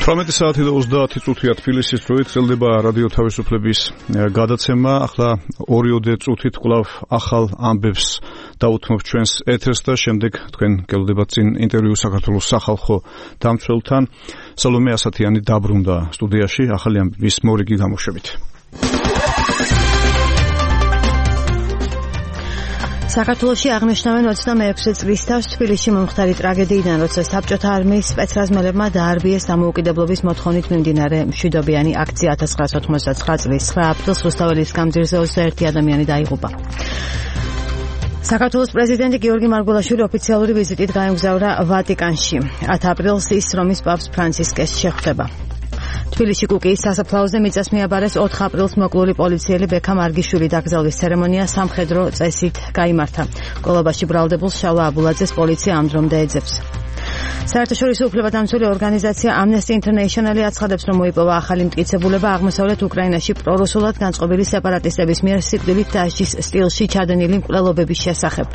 18 საათი და 30 წუთია თბილისის დროით გრძელდება რადიო თავისუფლების გადაცემა. ახლა 2 წუთით კვლავ ახალ ამბებს დაუთმობ ჩვენს ეთერს და შემდეგ თქვენ გელოდებათ წინ ინტერვიუ საქართველოს სახალხო დამცველთან. სალომე ასათიანი დაბრუნდა სტუდიაში ახალი ამბების მორიგი გამოშვებით. საქართველოში აღნიშნავენ 26 წლის თავს თბილისში მომხდარი ტრაგედიიდან, როცა საბჭოთა არმიის სპეცრაზმელებმა დაარბიეს დამოუკიდებლობის მოთხოვნით მიმდინარე მშვიდობიანი აქცია 1989 წლის 9 აპრილს რუსთაველის გამზირზე 21 ადამიანი დაიღუპა. საქართველოს პრეზიდენტი გიორგი მარგველაშვილი ოფიციალური ვიზიტით გაემგზავრა ვატიკანში. 10 აპრილს ის რომის პაპს ფრანცისკეს შეხვდება. თბილისში კუკიის სასაფლაოზე მიწას მიაბარეს 4 აპრილს მოკლული პოლიციელი ბექა მარგიშვილი დაკრძალვის ცერემონია სამხედრო წესით გაიმართა. კოლაბაში ბრალდებულ შალვა აბულაძეს პოლიცია ამ დრომდე ეძებს. საერთაშორისო უფლებადამცველი ორგანიზაცია Amnesty International აცხადებს, რომ მოიპოვა ახალი მტკიცებულება აღმოსავლეთ უკრაინაში პრორუსულად განწყობილი სეპარატისტების მიერ სიკვდილით დასჯის სტილში ჩადენილი მკვლელობების შესახებ.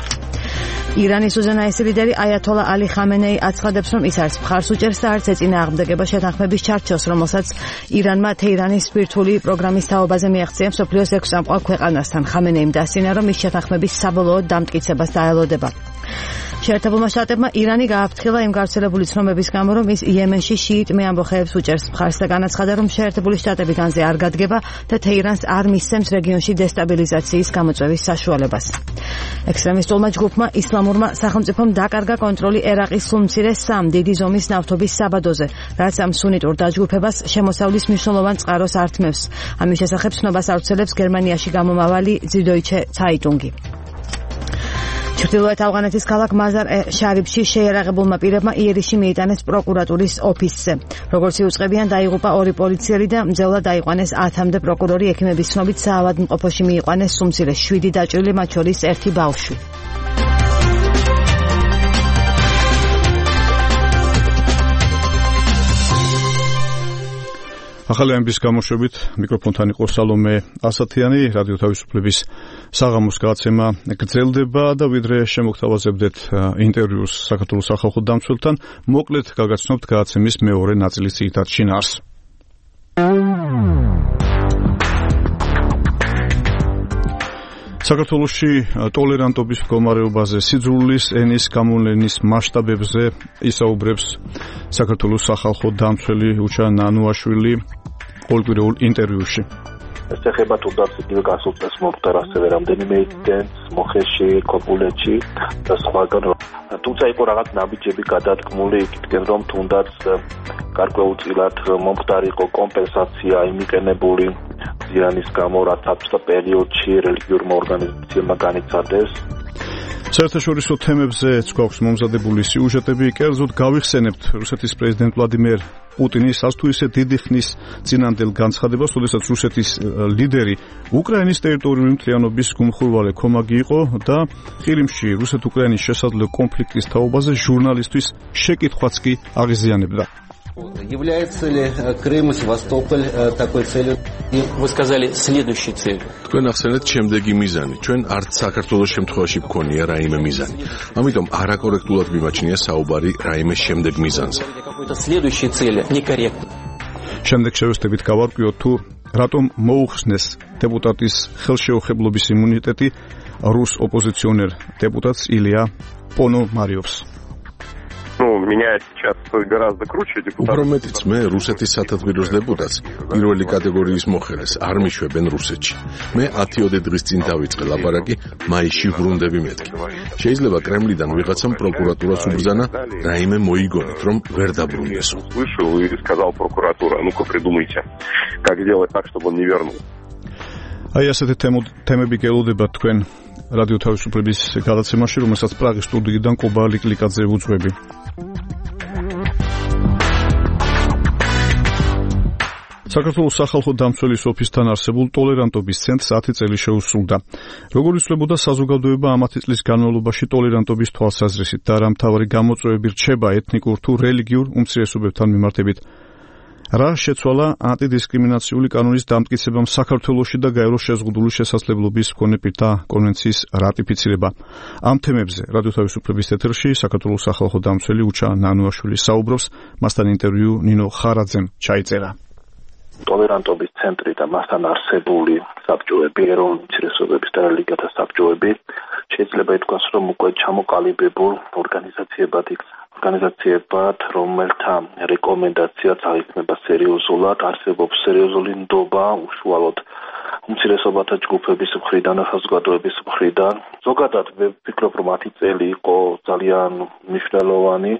ირანის უზენაესი ლიდერი აიათოლა ალი ხამენეი აცხადებს, რომ ის არც მხარს უჭერს და არც ეწინააღმდეგება შეთანხმების ჩარჩოს, რომელსაც ირანმა თეირანის სპირთული პროგრამის თაობაზე მიაღწია მსოფლიოს 6 წამყვან ქვეყანასთან. ხამენეიმ დასცინა, რომ ის შეთანხმების საბოლოოდ დამტკიცებას დაელოდება. შეერთებულმა შტატებმა ირანი გააფრთხილა იმ გავრცელებული ცნობების გამო, რომ ის იემენში შიიტ მეამბოხეებს უჭერს მხარს და განაცხადა, რომ შეერთებული შტატები განზე არ გადგება და თეირანს არ მისცემს რეგიონში დესტაბილიზაციის გამოწვევის საშუალებას. ექსტრემისტულმა ჯგუფმა ისლამურმა სახელმწიფომ დაკარგა კონტროლი ერაყის სულმცირე 3 დიდი ზომის ნავთობის საბადოზე, რაც ამ სუნიტურ დაჯგუფებას შემოსავლის მნიშვნელოვან წყაროს ართმევს. ამის შესახებ ცნობას ავრცელებს გერმანიაში გამომავალი Süddeutsche Zeitung. ჩრდილოეთ ავღანეთის ქალაქ მაზარ-ე-შარიფში შეიარაღებულმა პირებმა იერიში მიიტანეს პროკურატურის ოფისზე. როგორც იუწყებიან, დაიღუპა 2 პოლიციელი და მძევლად დაიყვანეს 10-მდე პროკურორი. ექიმების ცნობით საავადმყოფოში მიიყვანეს სუმცირე 7 დაჭრილი, მათ შორის 1 ბავშვი. ახალი ამბის გამოშვებით მიკროფონთან იყო სალომე ასათიანი. რადიო თავისუფლების საღამოს გადაცემა გრძელდება და ვიდრე შემოგთავაზებდეთ ინტერვიუს საქართველოს სახალხო დამცველთან, მოკლედ გაგაცნობთ გადაცემის მეორე ნაწილის ძირითად შინაარსს. საქართველოში ტოლერანტობის მდგომარეობაზე, სიძრულის ენის გამოვლენის მასშტაბებზე ისაუბრებს საქართველოს სახალხო დამცველი უჩა ნანუაშვილი ყოველკვირეულ ინტერვიუში. ეს ეხება თუნდაც იგივე გასულ წელს მომხდარ ასევე რამდენიმე ინციდენტს მოხეში, ქობულეთში და სხვაგან. თუმცა იყო რაღაც ნაბიჯები გადადგმული იქითკენ, რომ თუნდაც გარკვეულწილად მომხდარ იყო კომპენსაცია იმიყენებული ზიანის გამო, რაც საბჭოთა პერიოდში რელიგიურმა ორგანიზაციებმა განიცადეს. საერთაშორისო თემებზეც გვაქვს მომზადებული სიუჟეტები. კერძოდ გავიხსენებთ რუსეთის პრეზიდენტ ვლადიმერ პუტინის ასე თუ ისე დიდი ხნის წინანდელ განცხადებას, როდესაც რუსეთის ლიდერი უკრაინის ტერიტორიული მთლიანობის გუმხურვალე ქომაგი იყო და ყირიმში რუსეთ-უკრაინის შესაძლო კონფლიქტის თაობაზე ჟურნალისტვის შეკითხვაც კი აღიზიანებდა. Является ли Крым и Севастополь такой целью? Вы сказали следующей целью. თქვენ ახსენეთ შემდეგი მიზანი. ჩვენ არც საქართველოს შემთხვევაში გქონია რაიმე მიზანი. ამიტომ არაკორექტულად მიმაჩნია საუბარი რაიმე შემდეგ მიზანზე. Какой-то следующей цели некорректно. შემდეგ შევეცდებით გავარკვიოთ თუ რატომ მოუხსნეს დეპუტატის ხელშეუხებლობის იმუნიტეტი რუს ოპოზიციონერ დეპუტატს ილია პონომარიოვს. меня сейчас гораздо круче депутат. უფრო მეტიც მე რუსეთის სათათბიროს დეპუტატს პირველი კატეგორიის მოხელეს არ მიშვებენ რუსეთში. მე 10 დღის წინ დავიწყე ლაპარაკი, მაისში ვრუნდები მეთქი. შეიძლება კრემლიდან ვიღაცამ პროკურატურას უბრძანა, რაიმე მოიგონოთ, რომ ვერ დაბრუნდეს. Вышел и сказал прокуратура, ну-ка придумайте, как сделать так, чтобы он не вернул. აი ასეთი თემები გელოდება თქვენ რადიო თავისუფლების გადაცემაში, რომელსაც პრაღის სტუდიიდან კობა ლიკლიკაძე უძღვები. საქართველოს სახალხო დამცველის ოფისთან არსებულ ტოლერანტობის ცენტრს 10 წელი შეუსრულდა. როგორ იცვლებოდა საზოგადოება ამათი წლის განმავლობაში ტოლერანტობის თვალსაზრისით და რა მთავარი გამოწვევები რჩება ეთნიკურ თუ რელიგიურ უმცირესობებთან მიმართებით. რა შეცვალა ანტიდისკრიმინაციული კანონის დამტკიცებამ საქართველოში და გაერო შეზღუდული შესაძლებლობის მქონე პირთა კონვენციის რატიფიცირება. ამ თემებზე რადიო თავისუფლების ეთერში საქართველოს სახალხო დამცველი უჩა ნანუაშვილი საუბრობს, მასთან ინტერვიუ ნინო ხარაძემ ჩაიწერა. ტოლერანტობის ცენტრი და მასთან არსებული საბჭოები, ეროვნული უმცირესობების და რელიგიათა საბჭოები შეიძლება ითქვას, რომ უკვე ჩამოყალიბებულ ორგანიზაციებად, რომელთა რეკომენდაციაც აღიქმება სერიოზულად, არსებობს სერიოზული ნდობა უშუალოდ უმცირესობათა ჯგუფების მხრიდან, საზოგადოების მხრიდან. ზოგადად ვფიქრობ, რომ 10 წელი იყო ძალიან მნიშვნელოვანი,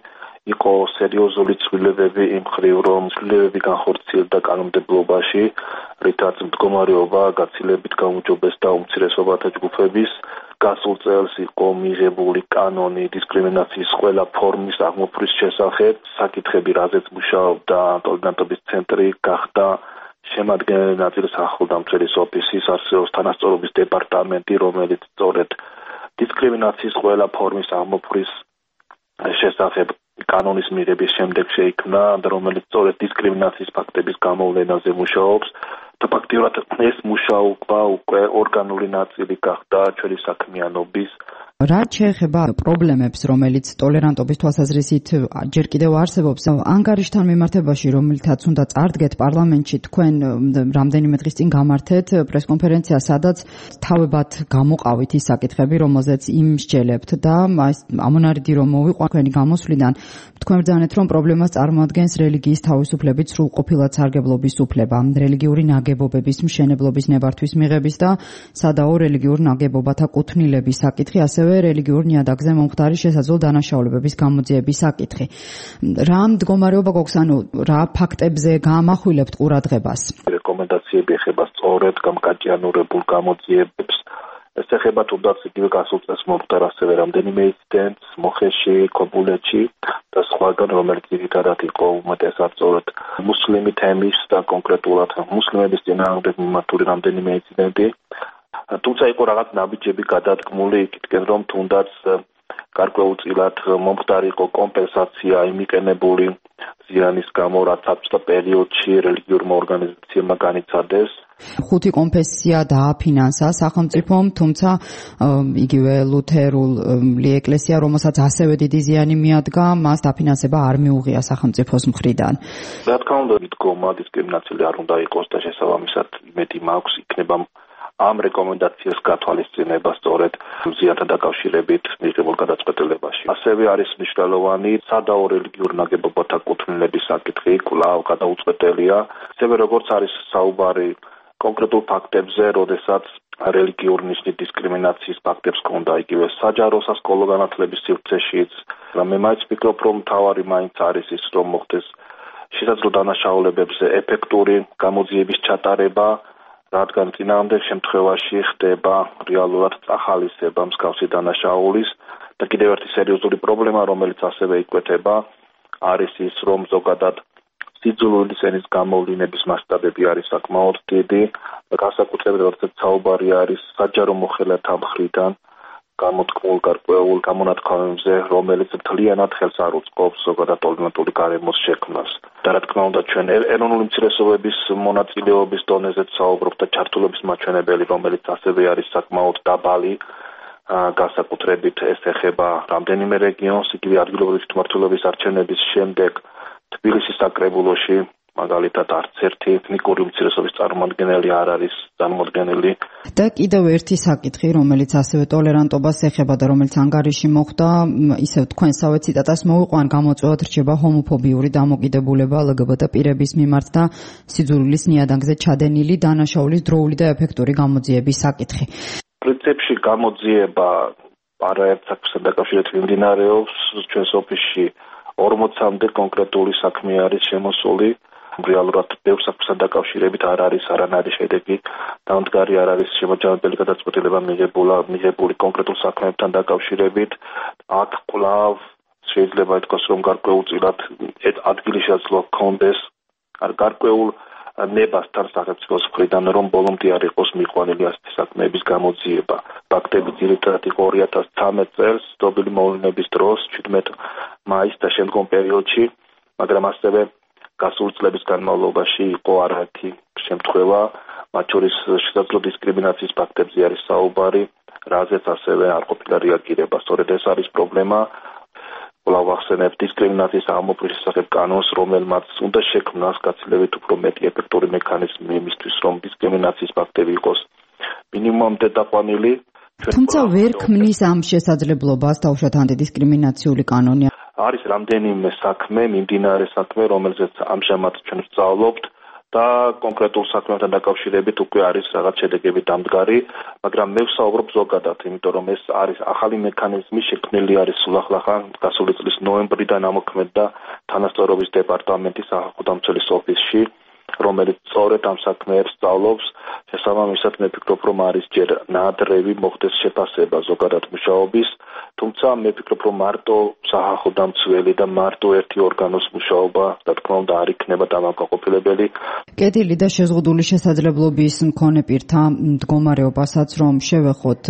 იყო სერიოზული ცვლილებები იმ მხრივ, რომ ცვლილებები განხორციელდა კანონმდებლობაში, რითაც მდგომარეობა გაცილებით გაუმჯობესდა უმცირესობათა ჯგუფების. გასულ წელს იყო მიღებული კანონი დისკრიმინაციის ყველა ფორმის აღმოფხვის შესახებ. საკითხები, რაზეც მუშაობდა ტოლერანტობის ცენტრი, გახდა შემადგენელი ნაწილი სახელმწიფოს ოფისის, არსებობს თანასწორობის დეპარტამენტი, რომელიც სწორედ დისკრიმინაციის ყველა ფორმის აღმოფხვის შესახებ კანონის მიღების შემდეგ შეიქმნა, რომელიც სწორედ დისკრიმინაციის ფაქტების გამოვლენაზე მუშაობს. და ფაქტიურად ეს მუშაობა უკვე ორგანული ნაწილი გახდა ჩვენი საქმიანობის. რა შეეხება პრობლემებს, რომელიც ტოლერანტობის თვალსაზრისით ჯერ კიდევ არსებობს, ანგარიშთან მიმართებაში, რომელთაც უნდა წარდგეთ პარლამენტში, თქვენ რამდენიმე დღის წინ გამართეთ პრესკონფერენცია, სადაც თავებად გამოყავით ის საკითხები, რომელზეც იმსჯელებთ და ამონარიდი რომ მოვიყვა თქვენი გამოსვლიდან, თქვენ ბრძანეთ, რომ პრობლემას წარმოადგენს რელიგიის თავისუფლებით სრულყოფილად სარგებლობის უფლება, რელიგიური ნაგებობების მშენებლობის ნებართვის მიღების და სადაო რელიგიურ ნაგებობათა კუთვნილების საკითხი, ასევე რელიგიურ ნიადაგზე მომხდარი შესაძლო დანაშაულებების გამოძიების საკითხი. რა მდგომარეობა გვაქვს, ანუ რა ფაქტებზე გაამახვილებთ ყურადღებას? რეკომენდაციები ეხება სწორედ გამკაჭიანურებულ გამოძიებებს. ეს ეხება თუნდაც იგივე გასულ წელს მომხდარ ასევე რამდენიმე ინციდენტს მოხეში, ქობულეთში და სხვაგან, რომელიც ძირითადად იყო უმეტესად სწორედ მუსლიმი თემის და კონკრეტულად მუსლიმების წინააღმდეგ მიმართული რამდენიმე ინციდენტი. თუმცა იყო რაღაც ნაბიჯები გადადგმული იქითკენ, რომ თუნდაც გარკვეულწილად მომხდარი იყო კომპენსაცია იმიყენებული ზიანის გამო, რაც საბჭოთა პერიოდში რელიგიურმა ორგანიზაციებმა განიცადეს. 5 კონფესია დააფინანსა სახელმწიფომ, თუმცა იგივე ლუთერული ეკლესია, რომელსაც ასევე დიდი ზიანი მიადგა, მას დაფინანსება არ მიუღია სახელმწიფოს მხრიდან. რა თქმა უნდა, მიდგომა დისკრიმინაციული არ უნდა იყოს და შესაბამისად იმედი მაქვს იქნება ამ რეკომენდაციას გათვალისწინება სწორედ ზიანთან დაკავშირებით მიღებულ გადაწყვეტილებაში. ასევე არის მნიშვნელოვანი სადაო რელიგიურ ნაგებობათა კუთვნილების საკითხი, კვლავ გადაუწყვეტელია. ასევე როგორც არის საუბარი კონკრეტულ ფაქტებზე, როდესაც რელიგიური ნიშნით დისკრიმინაციის ფაქტებს ჰქონდა იგივე საჯარო სასკოლო განათლების სივრცეშიც. მე მაინც ვფიქრობ, რომ მთავარი მაინც არის ის, რომ მოხდეს შესაძლო დანაშაულებებზე ეფექტური გამოძიების ჩატარება, რადგან წინააღმდეგ შემთხვევაში ხდება რეალურად წახალისება მსგავსი დანაშაულის და კიდევ ერთი სერიოზული პრობლემა, რომელიც ასევე იკვეთება, არის ის, რომ ზოგადად სიძულვილი სენის გამოვლინების მასშტაბები არის საკმაოდ დიდი და განსაკუთრებით როდესაც საუბარი არის საჯარო მოხელეთა მხრიდან გამოთქმულ გარკვეულ გამონათქვამებზე, რომელიც მთლიანად ხელს არ უწყობს ზოგადად ტოლერანტული გარემოს შექმნას. და რა თქმა უნდა, ჩვენ ეროვნული უმცირესობების მონაწილეობის დონეზე საუბრობთ და ჩართულობის მაჩვენებელი, რომელიც ასევე არის საკმაოდ დაბალი, განსაკუთრებით ეს ეხება რამდენიმე რეგიონს, იგივე ადგილობრივი თვითმმართველობის არჩევნების შემდეგ თბილისის საკრებულოში მაგალითად არც ერთი ეთნიკური უმცირესობის წარმომადგენელი არ არის წარმოდგენილი. და კიდევ ერთი საკითხი, რომელიც ასევე ტოლერანტობას ეხება და რომელიც ანგარიში მოხდა, ისევ თქვენსავე ციტატას მოვიყვან, გამოწვევად რჩება ჰომოფობიური დამოკიდებულება LGBT პირების მიმართ და სიძულვილის ნიადაგზე ჩადენილი დანაშაულის დროული და ეფექტური გამოძიების საკითხი. პრინციპში გამოძიება არაერთ საქმესთან დაკავშირებით მიმდინარეობს ჩვენს ოფისში 40-მდე კონკრეტული საქმე არის შემოსული. რეალურად ბევრ საქმესთან დაკავშირებით არ არის არანაირი შედეგი, დამდგარი არ არის შემოჯამებელი გადაწყვეტილება მიღებული კონკრეტულ საქმეებთან დაკავშირებით. აქ კვლავ შეიძლება ითქვას, რომ გარკვეულწილად ადგილი შესაძლოა ჰქონდეს არ გარკვეულ ნებასთან სახელმწიფოს მხრიდან, რომ ბოლომდე არ იყოს მიყვანილი ასეთი საქმეების გამოძიება. ფაქტები ძირითადად იყო 2013 წელს დობილი მოვლენების დროს 17 მაისს და შემდგომ პერიოდში, მაგრამ ასევე გასული წლების განმავლობაში იყო არაერთი შემთხვევა, მათ შორის შესაძლო დისკრიმინაციის ფაქტებზე არის საუბარი, რაზეც ასევე არ ყოფილა რეაგირება. სწორედ ეს არის პრობლემა. კვლავ ახსენებ დისკრიმინაციის აღმოფხვის შესახებ კანონს, რომელმაც უნდა შექმნას გაცილებით უფრო მეტი ეფექტური მექანიზმი იმისთვის, რომ დისკრიმინაციის ფაქტები იყოს მინიმუმამდე დაყვანილი. თუმცა ვერ ქმნის ამ შესაძლებლობას თავშოთ ანტიდისკრიმინაციული კანონი. არის რამდენიმე საქმე, მიმდინარე საქმე, რომელზეც ამჟამად ჩვენ ვსწავლობთ და კონკრეტულ საქმესთან დაკავშირებით უკვე არის რაღაც შედეგები დამდგარი, მაგრამ მე ვსაუბრობ ზოგადად, იმიტომ რომ ეს არის ახალი მექანიზმი, შექმნილი არის სულ ახლა გასული წლის ნოემბრიდან ამოქმედდა თანასწორობის დეპარტამენტის სახალხო დამცველის ოფისში, რომელიც სწორედ ამ საქმეებს სწავლობს. შესაბამისად მე ვფიქრობ, რომ არის ჯერ ნაადრევი მოხდეს შეფასება ზოგადად მუშაობის, თუმცა მე ვფიქრობ, რომ მარტო სახალხო დამცველი და მარტო ერთი ორგანოს მუშაობა, რა თქმა უნდა, არ იქნება დამაკმაყოფილებელი. კეთილი და შეზღუდული შესაძლებლობის მქონე პირთა მდგომარეობასაც რომ შევეხოთ,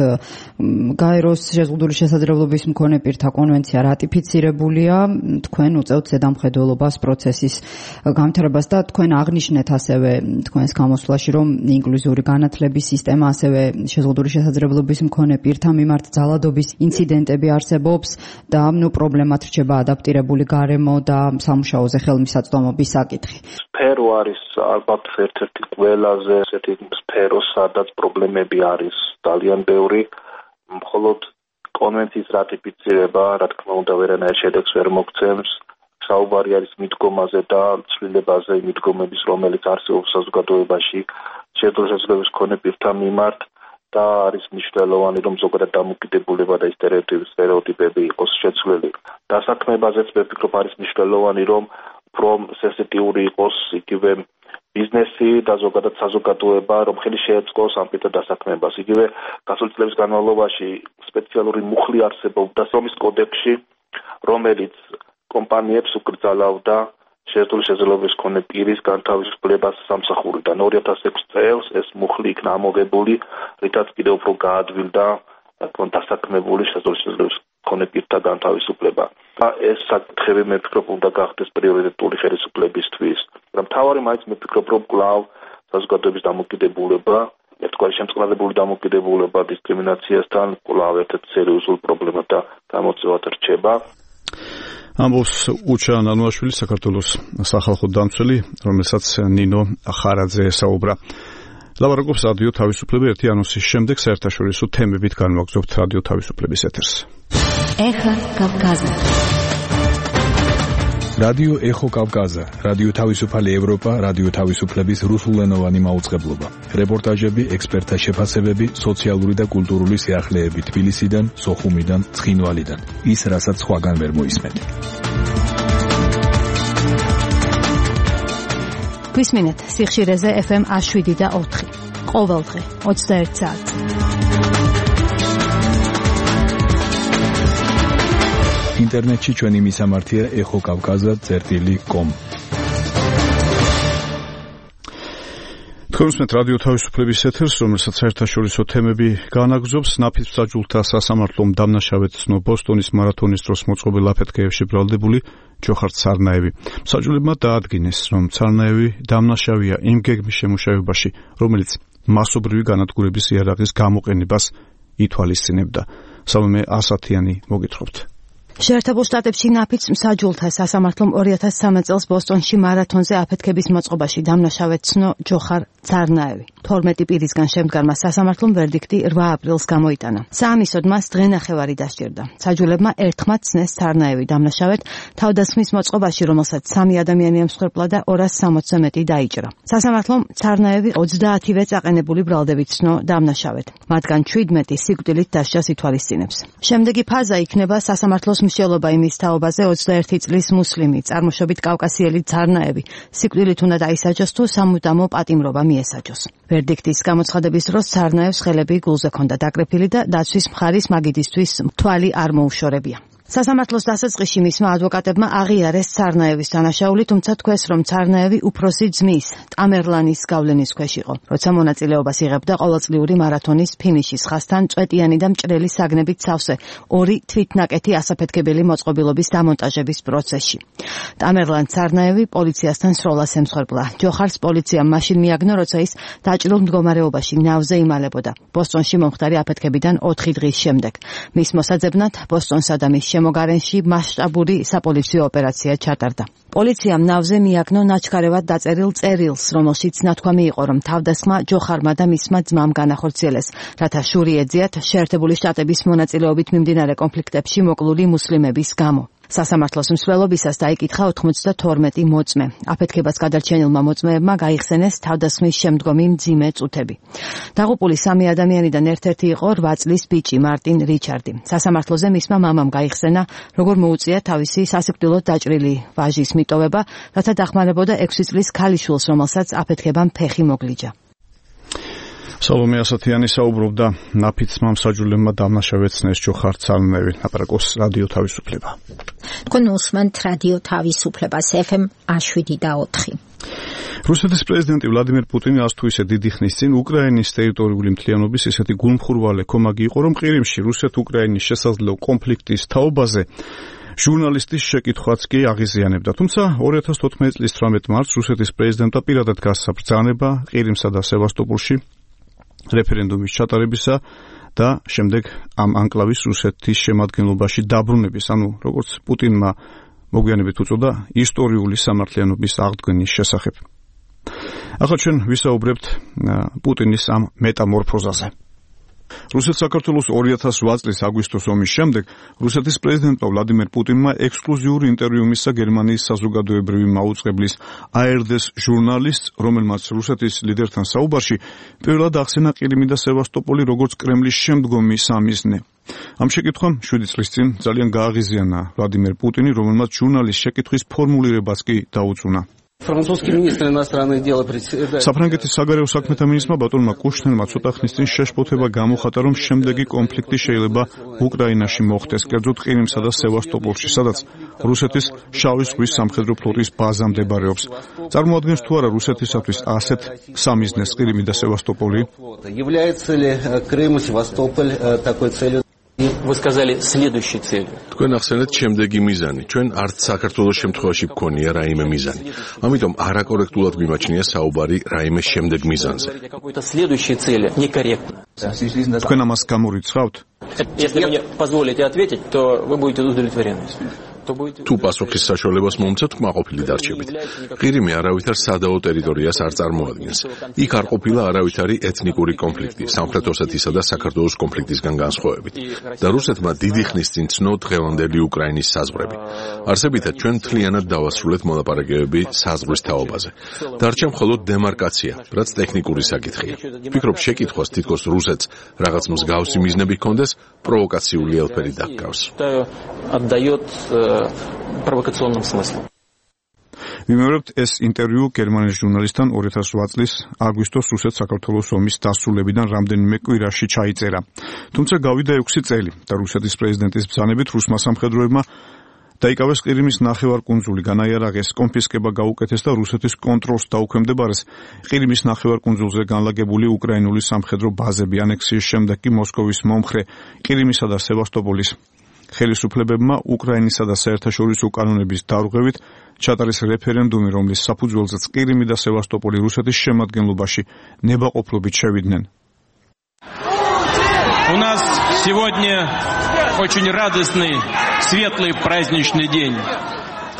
გაეროს შეზღუდული შესაძლებლობის მქონე პირთა კონვენცია რატიფიცირებულია, თქვენ უწევთ ზედამხედველობას პროცესის განვითარებას და თქვენ აღნიშნეთ ასევე თქვენს გამოსვლაში, რომ ინკლუზიური განათლების სისტემა, ასევე შეზღუდული შესაძლებლობის მქონე პირთა მიმართ ძალადობის ინციდენტები არსებობს და პრობლემად რჩება ადაპტირებული გარემო და სამუშაოზე ხელმისაწვდომობის საკითხი. სფერო არის ალბათ ერთ-ერთი ყველაზე ესეთი სფერო, სადაც პრობლემები არის ძალიან ბევრი. მხოლოდ კონვენციის რატიფიცირება, რა თქმა უნდა, ვერანაირ შედეგს ვერ მოგცემს. საუბარი არის მიდგომაზე და ცვლილებაზე მიდგომების, რომელიც არსებობს საზოგადოებაში შეზღუდული შესაძლებლობის მქონე პირთა მიმართ და არის მნიშვნელოვანი, რომ ზოგადად დამოკიდებულება და სტერეოტიპები იყოს შეცვლილი. დასაქმებაზეც მე ვფიქრობ, არის მნიშვნელოვანი, რომ უფრო სენსიტიური იყოს იგივე ბიზნესი და ზოგადად საზოგადოება, რომ ხელი შეეწყოს ამ პირთა დასაქმებას. იგივე გასული წლების განმავლობაში სპეციალური მუხლი არსებობდა სომის კოდექსში, რომელიც კომპანიებს უკრძალავდა შეზღუდული შესაძლებლობის მქონე პირის განთავისუფლებას სამსახურიდან. 2006 წელს ეს მუხლი იქნა ამოღებული, რითაც კიდევ უფრო გაადვილდა დასაქმებული შეზღუდული შესაძლებლობის მქონე პირთა განთავისუფლება. ეს საკითხები მე ვფიქრობ, უნდა გახდეს პრიორიტეტული ხელისუფლებისთვის. მაგრამ მთავარი მაინც მე ვფიქრობ, რომ კვლავ საზოგადოების დამოკიდებულება, ერთგვარი შემწყნარებული დამოკიდებულება დისკრიმინაციასთან კვლავ ერთ-ერთ სერიოზულ პრობლემად და გამოწვევად რჩება. ამბობს უჩა ნანუაშვილი, საქართველოს სახალხო დამცველი, რომელსაც ნინო ხარაძე ესაუბრა. ლაპარაკობს რადიო თავისუფლება ერთი ანონსის შემდეგ საერთაშორისო თემებით განვაგრძობთ რადიო თავისუფლების ეთერს. ეხა კავკაზა. რადიო ეხო კავკაზა, რადიო თავისუფალი ევროპა, რადიო თავისუფლების რუსულენოვანი მაუწყებლობა. რეპორტაჟები, ექსპერტთა შეფასებები, სოციალური და კულტურული სიახლეები თბილისიდან, სოხუმიდან, ცხინვალიდან. ის, რასაც სხვაგან ვერ მოისმენთ. გვისმინეთ სიხშირეზე FM 107 და 4. ყოველდღე 21 საათი. ინტერნეტში ჩვენი მისამართია ეხოკავკაზა.com. თქვენს რადიო თავისუფლების ეთერს, რომელსაც საერთაშორისო თემები განაგრძობს, ნაფიც მსაჯულთა სასამართლომ დამნაშავედ ცნო ბოსტონის მარათონის დროს მოწყობილ აფეთქეებში ბრალდებული ჯოხარ ცარნაევი. მსაჯულებმა დაადგინეს, რომ ცარნაევი დამნაშავეა იმ გეგმის შემუშავებაში, რომელიც მასობრივი განადგურების იარაღის გამოყენებას ითვალისწინებდა. სალომე ასათიანი მოგითხრობთ. შეერთებულ შტატებში ნაფიც მსაჯულთა სასამართლომ 2013 წელს ბოსტონში მარათონზე აფეთქების მოწყობაში დამნაშავედ ცნო ჯოხარ ცარნაევი. 12 პირისგან შემდგარმა სასამართლომ ვერდიქტი 8 აპრილს გამოიტანა. საამისოდ მას დღენახევარი დასჭირდა. მსაჯულებმა ერთხმად ცნეს ცარნაევი დამნაშავედ თავდასხმის მოწყობაში, რომელსაც 3 ადამიანი ემსხვერპლა და 260-ზე მეტი დაიჭრა. სასამართლომ ცარნაევი 30-ვე წაყენებული ბრალდებით ცნო დამნაშავედ. მათგან 17 სიკვდილით დასჯას ითვალისწინებს. შემდეგი ფაზა იქნება სასამართლოს მსჯელობა იმის თაობაზე 21 წლის მუსლიმი, წარმოშობით კავკასიელი ცარნაევი სიკვდილით უნდა დაისაჯოს თუ სამუდამო პატიმრობა მიესაჯოს. ვერდიქტის გამოცხადების დროს ცარნაევს ხელები გულზე ჰქონდა დაკრეფილი და დაცვის მხარის მაგიდისთვის თვალი არ მოუშორებია. სასამართლოს დასაწყისში მისმა ადვოკატებმა აღიარეს ცარნაევის დანაშაული, თუმცა თქვეს, რომ ცარნაევი უფროსი ძმის, ტამერლანის გავლენის ქვეშ იყო, როცა მონაწილეობას იღებდა ყოველწლიური მარათონის ფინიშის ხაზთან წვეტიანი და მჭრელი საგნებით სავსე ორი თვითნაკეთი ასაფეთქებელი მოწყობილობის დამონტაჟების პროცესში. ტამერლან ცარნაევი პოლიციასთან სროლას ემსხვერპლა. ჯოხარს პოლიციამ მაშინ მიაგნო, როცა ის დაჭრილ მდგომარეობაში ნავზე იმალებოდა. ბოსტონში მომხდარი აფეთქებიდან 4 დღის შემდეგ. მის მოსაძებნად ბოსტონსა და მის შემოგარენში მასშტაბური საპოლიციო ოპერაცია ჩატარდა. პოლიციამ ნავზე მიაგნო ნაჩქარევად დაწერილ წერილს, რომელშიც ნათქვამი იყო, რომ თავდასხმა ჯოხარმა და მისმა ძმამ განახორციელეს, რათა შური ეძიათ შეერთებული შტატების მონაწილეობით მიმდინარე კონფლიქტებში მოკლული მუსლიმების გამო. სასამართლოს მსვლელობისას დაიკითხა 92 მოწმე. აფეთქებას გადარჩენილმა მოწმეებმა გაიხსენეს თავდასხმის შემდგომი მძიმე წუთები. დაღუპული 3 ადამიანიდან ერთ-ერთი იყო 8 წლის ბიჭი მარტინ რიჩარდი. სასამართლოზე მისმა მამამ გაიხსენა, როგორ მოუწია თავისი სასიკვდილოდ დაჭრილი ვაჟის მიტოვება, რათა დახმარებოდა 6 წლის ქალიშვილს, რომელსაც აფეთქებამ ფეხი მოგლიჯა. სალომე ასათიანი საუბრობდა ნაფიც მამსაჯულებმა დამნაშავეცნეს ჯოხარ ცარნაევი. აპარაკოს რადიო თავისუფლება. თქვენ უსმენთ რადიო თავისუფლებას FM 7/4. რუსეთის პრეზიდენტი ვლადიმერ პუტინი ას თუ ისე დიდი ხნის წინ უკრაინის ტერიტორიული მთლიანობის ისეთი გულმხურვალე კომაგი იყო, რომ ყირიმში რუსეთ-უკრაინის შესაძლო კონფლიქტის თაობაზე ჟურნალისტის შეკითხვაც კი აღიზიანებდა. თუმცა 2014 წლის 18 მარტს რუსეთის პრეზიდენტმა პირადად გასცა ბრძანება ყირიმსა და სევასტოპოლში რეფერენდუმის ჩატარებისა და შემდეგ ამ ანკლავის რუსეთის შემადგენლობაში დაბრუნების, ანუ როგორც პუტინმა მოგვიანებით უწოდა, ისტორიული სამართლიანობის აღდგენის შესახებ. ახლა ჩვენ ვისაუბრებთ პუტინის ამ მეტამორფოზაზე. რუსეთ-საქართველოს 2008 წლის აგვისტოს ომის შემდეგ რუსეთის პრეზიდენტმა ვლადიმერ პუტინმა ექსკლუზიური ინტერვიუ მისცა გერმანიის საზოგადოებრივი მაუწყებლის ARD-ს ჟურნალისტს, რომელმაც რუსეთის ლიდერთან საუბარში პირველად ახსენა ყირიმი და სევასტოპოლი როგორც კრემლის შემდგომი სამიზნე. ამ შეკითხვამ 7 წლის წინ ძალიან გააღიზიანა ვლადიმერ პუტინი, რომელმაც ჟურნალის შეკითხვის ფორმულირებას კი დაუწუნა. საფრანგეთის საგარეო საქმეთა მინისტრმა ბატონმა კუშნერმა ცოტა ხნის წინ შეშფოთება გამოხატა, რომ შემდეგი კონფლიქტი შეიძლება უკრაინაში მოხდეს, კერძოდ ყირიმსა და სევასტოპოლში, სადაც რუსეთის შავი ზღვის სამხედრო ფლოტის ბაზა მდებარეობს. წარმოადგენს თუ არა რუსეთისათვის ასეთ სამიზნეს ყირიმი და სევასტოპოლი? Вы сказали следующей целью. თქვენ ახსენეთ შემდეგი მიზანი. ჩვენ არც საქართველოს შემთხვევაში გქონია რაიმე მიზანი. ამიტომ არაკორექტულად მიმაჩნია საუბარი რაიმე შემდეგ мизанზე. Какой-то следующей цели некорректно. თქვენ ამას გამორიცხავთ? Если вы мне позволите ответить, то вы будете удовлетворены. თუ პასუხის საშუალებას მომცეთ, კმაყოფილი დარჩებით. ყირიმი არავითარ სადაო ტერიტორიას არ წარმოადგენს. იქ არ ყოფილა არავითარი ეთნიკური კონფლიქტი, სამხრეთ ოსეთისა და საქართველოს კონფლიქტისგან განსხვავებით. და რუსეთმა დიდი ხნის წინ ცნო დღევანდელი უკრაინის საზღვრები. არსებითად ჩვენ მთლიანად დავასრულეთ მოლაპარაკებები საზღვრის თაობაზე. დარჩა მხოლოდ დემარკაცია, რაც ტექნიკური საკითხია. ვფიქრობ, შეკითხვას თითქოს რუსეთს რაღაც მსგავსი მიზნები ჰქონდეს, პროვოკაციული ელფერი დაგკავს. Отдает провокационным смыслом. ვიმეორებთ ეს ინტერვიუ გერმანიის ჟურნალისტთან 2008 წლის აგვისტოს რუსეთ-საქართველოს ომის დასრულებიდან რამდენიმე კვირაში ჩაიწერა. თუმცა გავიდა 6 წელი და რუსეთის პრეზიდენტის ბრძანებით რუსმა სამხედროებმა დაიკავეს ყირიმის ნახევარკუნძული, განაიარაღეს, კონფისკება გაუკეთეს და რუსეთის კონტროლს დაუქვემდებარეს ყირიმის ნახევარკუნძულზე განლაგებული უკრაინული სამხედრო ბაზები. ანექსიის შემდეგ კი მოსკოვის მომხრე ყირიმისა და სევასტოპოლის ხელისუფლებებმა უკრაინისა და საერთაშორისო კანონების დარღვევით ჩატარეს რეფერენდუმი, რომლის საფუძველზეც ყირიმი და სევასტოპოლი რუსეთის შემადგენლობაში ნებაყოფლობით შევიდნენ. У нас сегодня очень радостный, светлый праздничный день.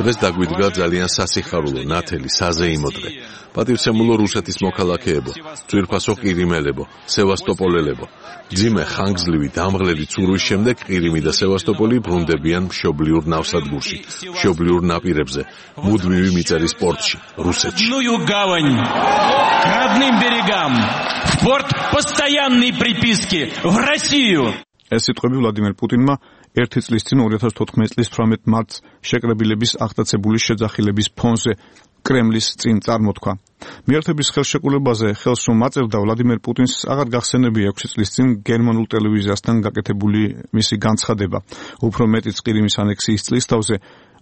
დღეს დაგვიდგა ძალიან სასიხარულო, ნათელი, საზეიმო დღე. პატივცემულო რუსეთის მოქალაქეებო, ძვირფასო ყირიმელებო, სევასტოპოლელებო. ძიმე ხანგრძლივი დამღლელი ცურვის შემდეგ ყირიმი და სევასტოპოლი ბრუნდებიან მშობლიურ ნავსადგურში, მშობლიურ ნაპირებზე, მუდმივი მიწერის პორტში, რუსეთში. Гавань, к родным берегам, в порт постоянной приписки, в Россию. ეს სიტყვები ვლადიმერ პუტინმა 1 წლის წინ 2014 წლის 18 მარტს შეკრებილების აღტაცებული შეძახილების ფონზე კრემლის წინ წარმოთქვა. მიერთების ხელშეკრულებაზე ხელს რომ აწერდა ვლადიმერ პუტინს აღარ გახსენებია 6 წლის წინ გერმანულ ტელევიზიასთან გაკეთებული მისი განცხადება. უფრო მეტიც ყირიმის ანექსიის წლისთავზე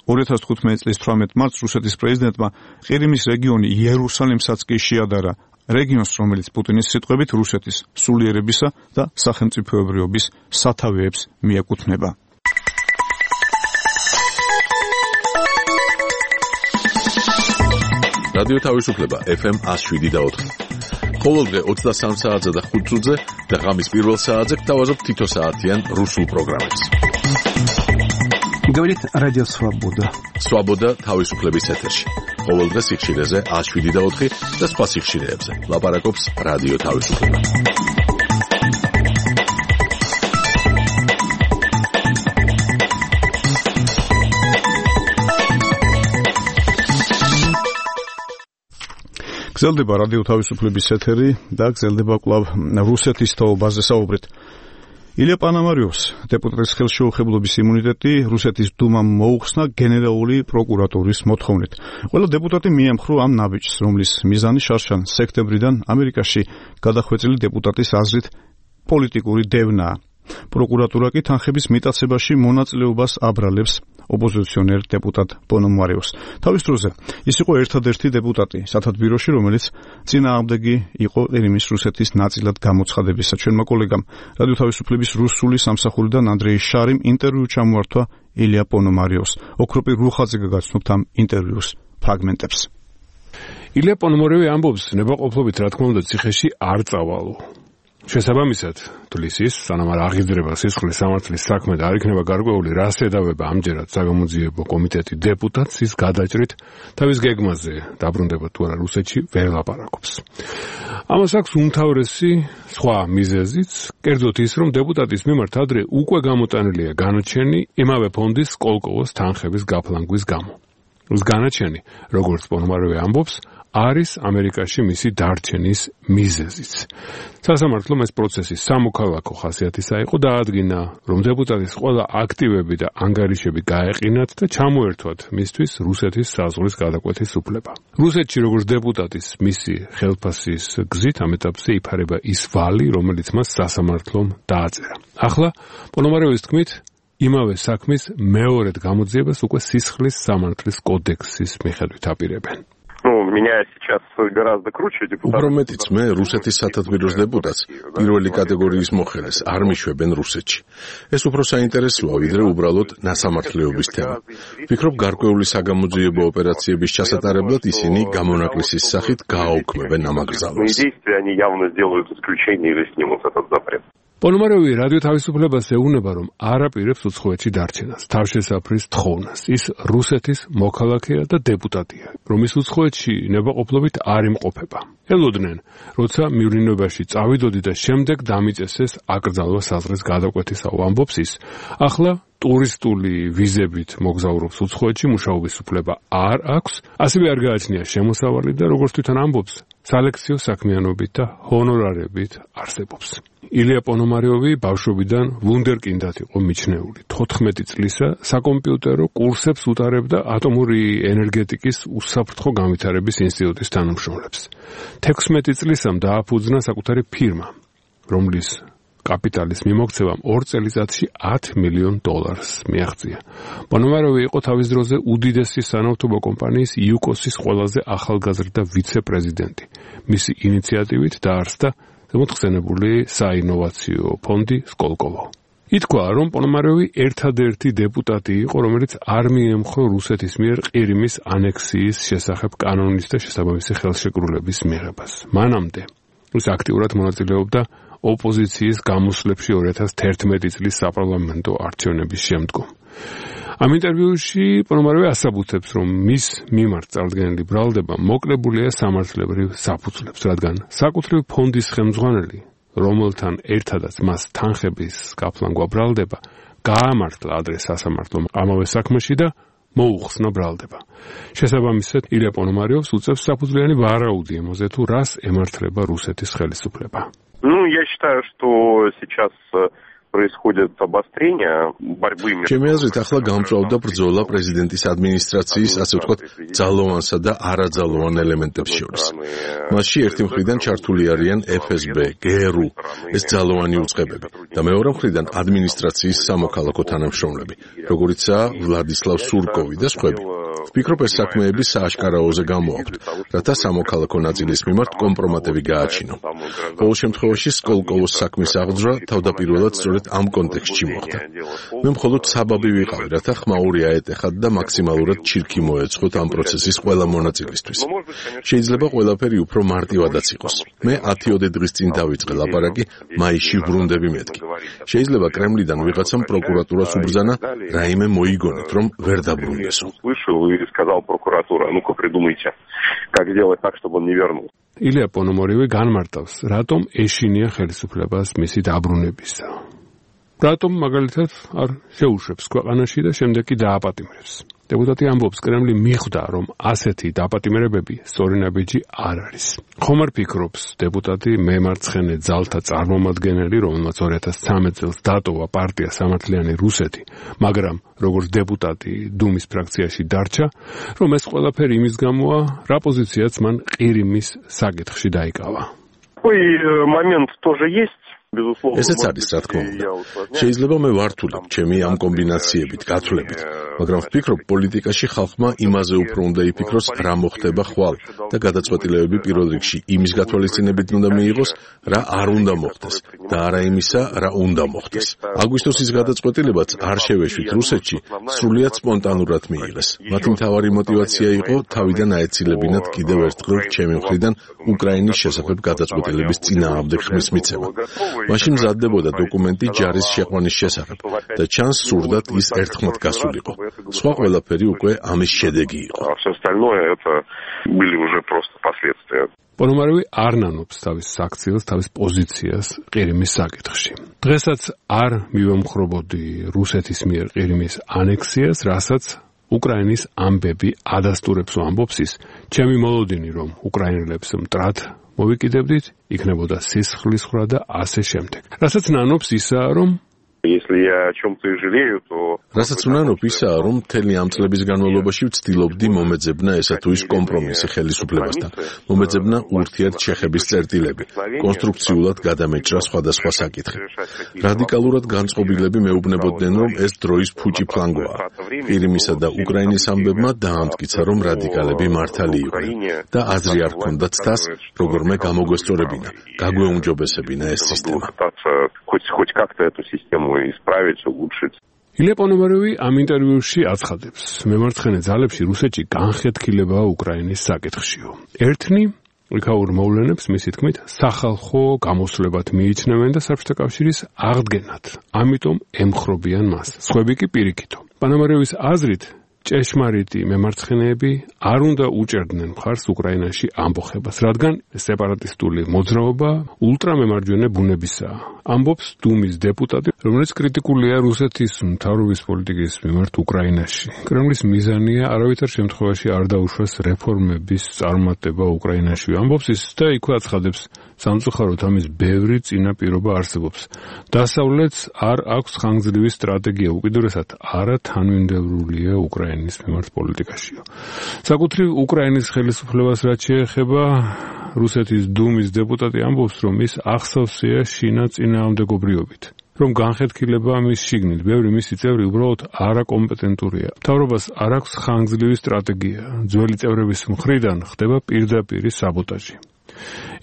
2015 წლის 18 მარტს რუსეთის პრეზიდენტმა ყირიმის რეგიონი იერუსალიმსაც კი შეადარა. რეგიონს, რომელიც პუტინის სიტყვებით რუსეთის სულიერებისა და სახელმწიფოებრიობის სათავეებს მიეკუთვნება. რადიო თავისუფლება FM 107.4. ყოველდღე 23 საათზე და 5 წუთზე და ღამის პირველ საათზე გთავაზობთ თითო საათიან რუსულ პროგრამებს. Говорит Радио Свобода. Свобода თავისუფლების ეთერში. ყოველდღე სიხშირეზე 107.4 და სხვა სიხშირეებზე. ლაპარაკობს რადიო თავისუფლება. გრძელდება რადიო თავისუფლების ეთერი და გრძელდება კვლავ რუსეთის თაობაზე საუბრით. ილია პანამარიოს დეპუტატის ხელშეუხებლობის იმუნიტეტი რუსეთის დუმამ მოუხსნა გენერალური პროკურატურის მოთხოვნით. ყველა დეპუტატი მიემხრო ამ ნაბიჯს, რომლის მიზანი შარშან სექტემბრიდან ამერიკაში გადახვეწილი დეპუტატის აზრით პოლიტიკური დევნაა. პროკურატურა კი თანხების მიტაცებაში მონაწილეობას აბრალებს ოპოზიციონერ დეპუტატ პონომარიოს. თავის დროზე ის იყო ერთადერთი დეპუტატი სათათბიროში, რომელიც წინააღმდეგი იყო ყირიმის რუსეთის ნაწილად გამოცხადებისა. ჩვენმა კოლეგამ რადიო თავისუფლების რუსული სამსახურიდან ანდრეი შარიმ ინტერვიუ ჩამოართვა ილია პონომარიოს. ოქროპი რუხაძე გაგაცნობთ ამ ინტერვიუს ფრაგმენტებს. ილია პონომარიოვი ამბობს, ნებაყოფლობით რა თქმა უნდა ციხეში არ წავალო. შესაბამისად, თulis ის, სანამ არ აღიძრება სისხლის სამართლის საქმე და არ იქნება გარკვეული რას ედავება ამჯერად საგამოძიებო კომიტეტი დეპუტატს, ის გადაჭრით თავის გეგმაზე დაბრუნდება თუ არა რუსეთში ვერ ლაპარაკობს. ამას აქვს უმთავრესი სხვა მიზეზიც, კერძოდ ის, რომ დეპუტატის მიმართ ადრე უკვე გამოტანილია განაჩენი იმავე ფონდის სკოლკოვოს თანხების გაფლანგვის გამო. ეს განაჩენი, როგორც პონომარიოვი ამბობს, არის ამერიკაში მისი დარჩენის მიზეზიც. სასამართლომ ეს პროცესი სამოქალაქო ხასიათისა იყო და ადგენა, რომ დეპუტატის ყველა აქტივები და ანგარიშები გაეყინათ და ჩამოერთვათ მისთვის რუსეთის საზღვრის გადაკვეთის უფლება. რუსეთში როგორც დეპუტატის მისი ხელფასის გზით ამ ეტაპზე იფარება ის ვალი, რომელიც მას სასამართლომ დააწერა. ახლა პონომარიოვის თქმით, იმავე საქმის მეორედ გამოძიებას უკვე სისხლის სამართლის კოდექსის მიხედვით აპირებენ. Меня сейчас гораздо круче депутат. უფრო მეტიც მე რუსეთის სათათბიროს დეპუტატს პირველი კატეგორიის მოხელეს არ მიშვებენ რუსეთში. ეს უფრო საინტერესოა, ვიდრე უბრალოდ ნასამართლეობის თემა. ვფიქრობ, გარკვეული საგამოძიებო ოპერაციების ჩასატარებლად ისინი გამონაკლისის სახით გააუქმებენ ამ აკრძალვას. Они явно сделают исключение или снимут этот запрет. პონომარიოვი რადიო თავისუფლებას ეუბნება, რომ არ აპირებს უცხოეთში დარჩენას, თავშესაფრის თხოვნას. ის რუსეთის მოქალაქეა და დეპუტატია, რომ ის უცხოეთში ნებაყოფლობით არ იმყოფება. ელოდნენ, როცა მივლინებაში წავიდოდი და შემდეგ დამიწესეს აკრძალვა საზღვრის გადაკვეთისაო, ამბობს ის. ახლა ტურისტული ვიზებით მოგზაურობს უცხოეთში, მუშაობის უფლება არ აქვს, ასევე არ გააჩნია შემოსავალი და როგორც თვითონ ამბობს, სალექციო საქმიანობით და ჰონორარებით არსებობს. ილია პონომარიოვი ბავშვობიდან ვუნდერკინდად იყო მიჩნეული. 14 წლისა საკომპიუტერო კურსებს უტარებდა ატომური ენერგეტიკის უსაფრთხო განვითარების ინსტიტუტის თანამშრომლებს. 16 წლისამ დააფუძნა საკუთარი ფირმა, რომლის კაპიტალის მიმოქცევამ 2 წელიწადში $10 მილიონ მიაღწია. პონომარიოვი იყო თავის დროზე უდიდესი სანავთობო კომპანიის იუკოსის ყველაზე ახალგაზრდა ვიცე-პრეზიდენტი. მისი ინიციატივით დაარსდა ზემოთხსენებული საინოვაციო ფონდი სკოლკოვო. ითქვა, რომ პონომარიოვი ერთადერთი დეპუტატი იყო, რომელიც არ მიემხრო რუსეთის მიერ ყირიმის ანექსიის შესახებ კანონის და შესაბამისი ხელშეკრულების მიღებას. მანამდე ის აქტიურად მონაწილეობდა ოპოზიციის გამოსვლებში 2011 წლის საპარლამენტო არჩევნების შემდგომ. ამ ინტერვიუში პონომარიოვი ასაბუთებს, რომ მის მიმართ წარდგენილი ბრალდება მოკლებულია სამართლებრივ საფუძვლებს, რადგან საკუთრივ ფონდის ხელმძღვანელი, რომელთან ერთადაც მას თანხების გაფლანგვა ბრალდება, გაამართლა ადრე სასამართლომ ამავე საქმეში და მოუხსნა ბრალდება. შესაბამისად, ილია პონომარიოვს უწევს საფუძვლიანი ვარაუდი ემოზე თუ რას ემართლება რუსეთის ხელისუფლება. Я считаю, что сейчас происходит обострение борьбы между... ჩემი აზრით, ახლა გამწვავდა ბრძოლა პრეზიდენტის ადმინისტრაციის, ასე ვთქვათ, ძალოვანსა და არაძალოვან ელემენტებს შორის. მასში ერთი მხრიდან ჩართული არიან FSB, GRU, ეს ძალოვანი უწყებები და მეორე მხრიდან ადმინისტრაციის სამოქალაქო თანამშრომლები, როგორიცაა ვლადისლავ სურკოვი და სხვები. ვფიქრობ, ეს საქმეები სააშკარაოზე გამოაქვთ, რათა სამოქალაქო ნაწილის მიმართ კომპრომატები გააჩინო. ყოველ შემთხვევაში სკოლკოვოს საქმის აღძვრა თავდაპირველად სწორედ ამ კონტექსტში მოხდა. მე მხოლოდ საბაბი ვიყავი, რათა ხმაური აეტეხათ და მაქსიმალურად ჩირქი მოეწყოთ ამ პროცესის ყველა მონაწილისთვის. შეიძლება ყველაფერი უფრო მარტივადაც იყოს. მე 10 დღის წინ დავიწყე ლაპარაკი, მაისში ვრუნდები მეთქი. შეიძლება კრემლიდან ვიღაცამ პროკურატურას უბრძანა, რაიმე მოიგონეთ, რომ ვერ დაბრუნდესო. И сказал прокуратура, ну-ка придумайте, как сделать так, чтобы он не вернулся. ილია პონომოროვი განმარტავს, რატომ ეშინია ხელისუფლებას მისი დაბრუნებისა. რატომ მაგალითად არ შეუშვებს ქვეყანაში და შემდეგ კი დააპატიმრებს. დეპუტატი ამბობს, კრემლი მიხვდა, რომ ასეთი დაპატიმრებები სწორი ნაბიჯი არ არის. ხომ არ ფიქრობს დეპუტატი მემარცხენე ძალთა წარმომადგენელი, რომელმაც 2013 წელს დატოვა პარტია სამართლიანი რუსეთი, მაგრამ როგორც დეპუტატი დუმის ფრაქციაში დარჩა, რომ ეს ყველაფერი იმის გამოა, რა პოზიციაც მან ყირიმის საკითხში დაიკავა. Такой момент тоже есть. ესეც არის, რა თქმა უნდა. შეიძლება მე ვართულებ ჩემი ამ კომბინაციებით, გათვლებით, მაგრამ ვფიქრობ, პოლიტიკაში ხალხმა იმაზე უფრო უნდა იფიქროს, რა მოხდება ხვალ და გადაწყვეტილებები პირველ რიგში იმის გათვალისწინებით უნდა მიიღოს, რა არ უნდა მოხდეს და არა იმისა, რა უნდა მოხდეს. აგვისტოსის გადაწყვეტილებაც არ შევეშვით რუსეთში, სრულიად სპონტანურად მიიღეს. მათი მთავარი мотиваცია იყო თავიდან აეცილებინათ კიდევ ერთხელ ჩემი მხრიდან უკრაინის შესახებ გადაწყვეტილების წინააღმდეგ ხმის მიცემა. მაშინ მზადდებოდა დოკუმენტი ჯარის შეყვანის შესახებ და ჩანს სურდათ ის ერთხმად გასულიყო. სხვა ყველაფერი უკვე ამის შედეგი იყო. პონომაროვი არ ნანობს თავის საქციელს, თავის პოზიციას ყირიმის საკითხში. დღესაც არ მივემხრობოდი რუსეთის მიერ ყირიმის ანექსიას, რასაც უკრაინის ამბები ადასტურებს ამბობს ის. ჩემი მოლოდინი, რომ უკრაინელებს მტრად მოვიკიდებდით, იქნებოდა სისხლის ხრა და ასე შემდეგ. რასაც ნანობს ისაა, რომ Если я о чем-то и жалею, то... რასაც უნანობ ისაა, რომ მთელი ამ წლების განმავლობაში ვცდილობდი მომეძებნა ესა თუ ის კომპრომისი ხელისუფლებასთან. მომეძებნა ურთიერთშეხების წერტილები, კონსტრუქციულად გადამეჭრა სხვადასხვა საკითხი. რადიკალურად განწყობილები მეუბნებოდნენ, რომ ეს დროის ფუჭი ფლანგოა. ყირიმისა და უკრაინის ამბებმა დაამტკიცა, რომ რადიკალები მართალი იყვნენ და აზრი არ ჰქონდათ თას, როგორმე გამოგვესწორებინა, გაგვეუმჯობესებინა ეს სისტემა. Хоть как-то эту систему исправить, улучшить. ილია პონომაროვი ამ ინტერვიუში აცხადებს, მემარცხენე ძალებში რუსეთში განხეთქილებაა უკრაინის საკითხშიო. ერთნი იქაურ მოვლენებს მისი თქმით სახალხო გამოსვლებად მიიჩნევენ და საბჭოთა კავშირის აღდგენად. ამიტომ ემხრობიან მას. სხვები კი პირიქითო. პონომაროვის აზრით ჭეშმარიტი მემარცხენეები არ უნდა უჭერდნენ მხარს უკრაინაში ამბოხებას, რადგან სეპარატისტული მოძრაობა ულტრამემარჯვენე ბუნებისაა. ამბობს დუმის დეპუტატი, რომელიც კრიტიკულია რუსეთის მთავრობის პოლიტიკის მიმართ უკრაინაში. კრემლის მიზანია არავითარ შემთხვევაში არ დაუშვას რეფორმების წარმატება უკრაინაში. ამბობს ის და იქვე აცხადებს, სამწუხაროდ ამის ბევრი წინაპირობა არსებობს. დასავლეთს არ აქვს ხანგრძლივი სტრატეგია, უკიდურესად არა თანმიმდევრულია უკრაინის მიმართ პოლიტიკაშიო. საკუთრივ უკრაინის ხელისუფლებას რაც შეეხება, რუსეთის დუმის დეპუტატი ამბობს, რომ ის ახსოვსია შინა წინააღმდეგობრიობით. რომ განხეთქილება მის შიგნით, ბევრი მისი წევრი უბრალოდ არაკომპეტენტურია. მთავრობას არ აქვს ხანგრძლივი სტრატეგია. ძველი წევრების მხრიდან ხდება პირდაპირი საბოტაჟი.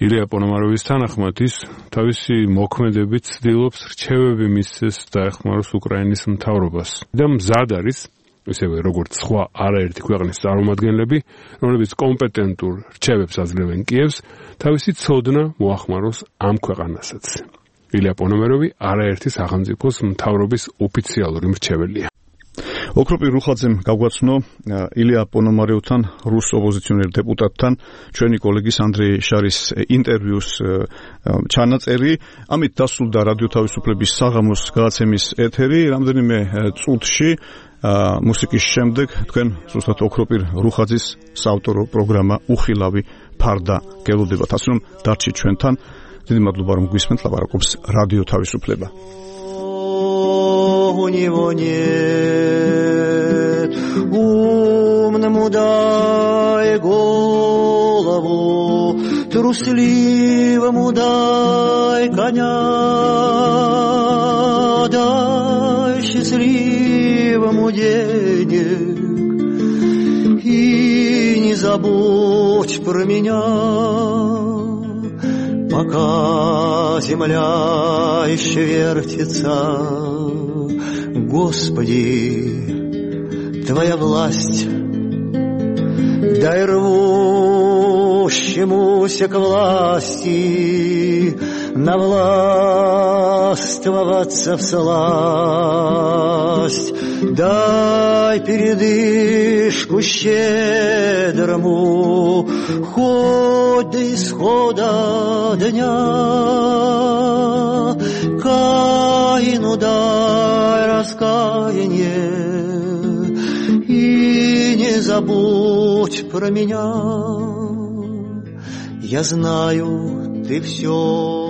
ილია პონომაროვის თანახმად ის თავისი მოქმედებით ცდილობს რჩევები მისცეს დაეხმაროს უკრაინის მთავრობას და მზად არის ისევე როგორც სხვა არაერთი ქვეყნის წარმომადგენლები, რომლებიც კომპეტენტურ რჩევებს აძლევენ კიევს, თავისი ცოდნა მოახმაროს ამ ქვეყანასაც. ილია პონომაროვი არაერთი სახელმწიფოს მთავრობის ოფიციალური მრჩეველია. ოქროპირ რუხაძემ გაგვაცნო ილია პონომაროვთან, რუს ოპოზიციონერ დეპუტატთან, ჩვენი კოლეგის ანდრეი შარის ინტერვიუს ჩანაწერი. ამით დასრულდა რადიო თავისუფლების საღამოს გადაცემის ეთერი. რამდენიმე წუთში მუსიკის შემდეგ თქვენ ზუსტად ოქროპირ რუხაძის საავტორო პროგრამა უხილავი ფარდა გელოდებათ. ასე რომ დარჩით ჩვენთან. დიდი მადლობა რომ გვისმენთ, ლაპარაკობს რადიო თავისუფლება. у него нет. Умному дай голову, трусливому дай коня, дай счастливому денег и не забудь про меня, пока земля еще вертится. Господи, Твоя власть, дай рвущемуся к власти навластвоваться всласть. Дай передышку щедрому, хоть до исхода дня. Каину дай раскаяние и не забудь про меня. Я знаю, ты все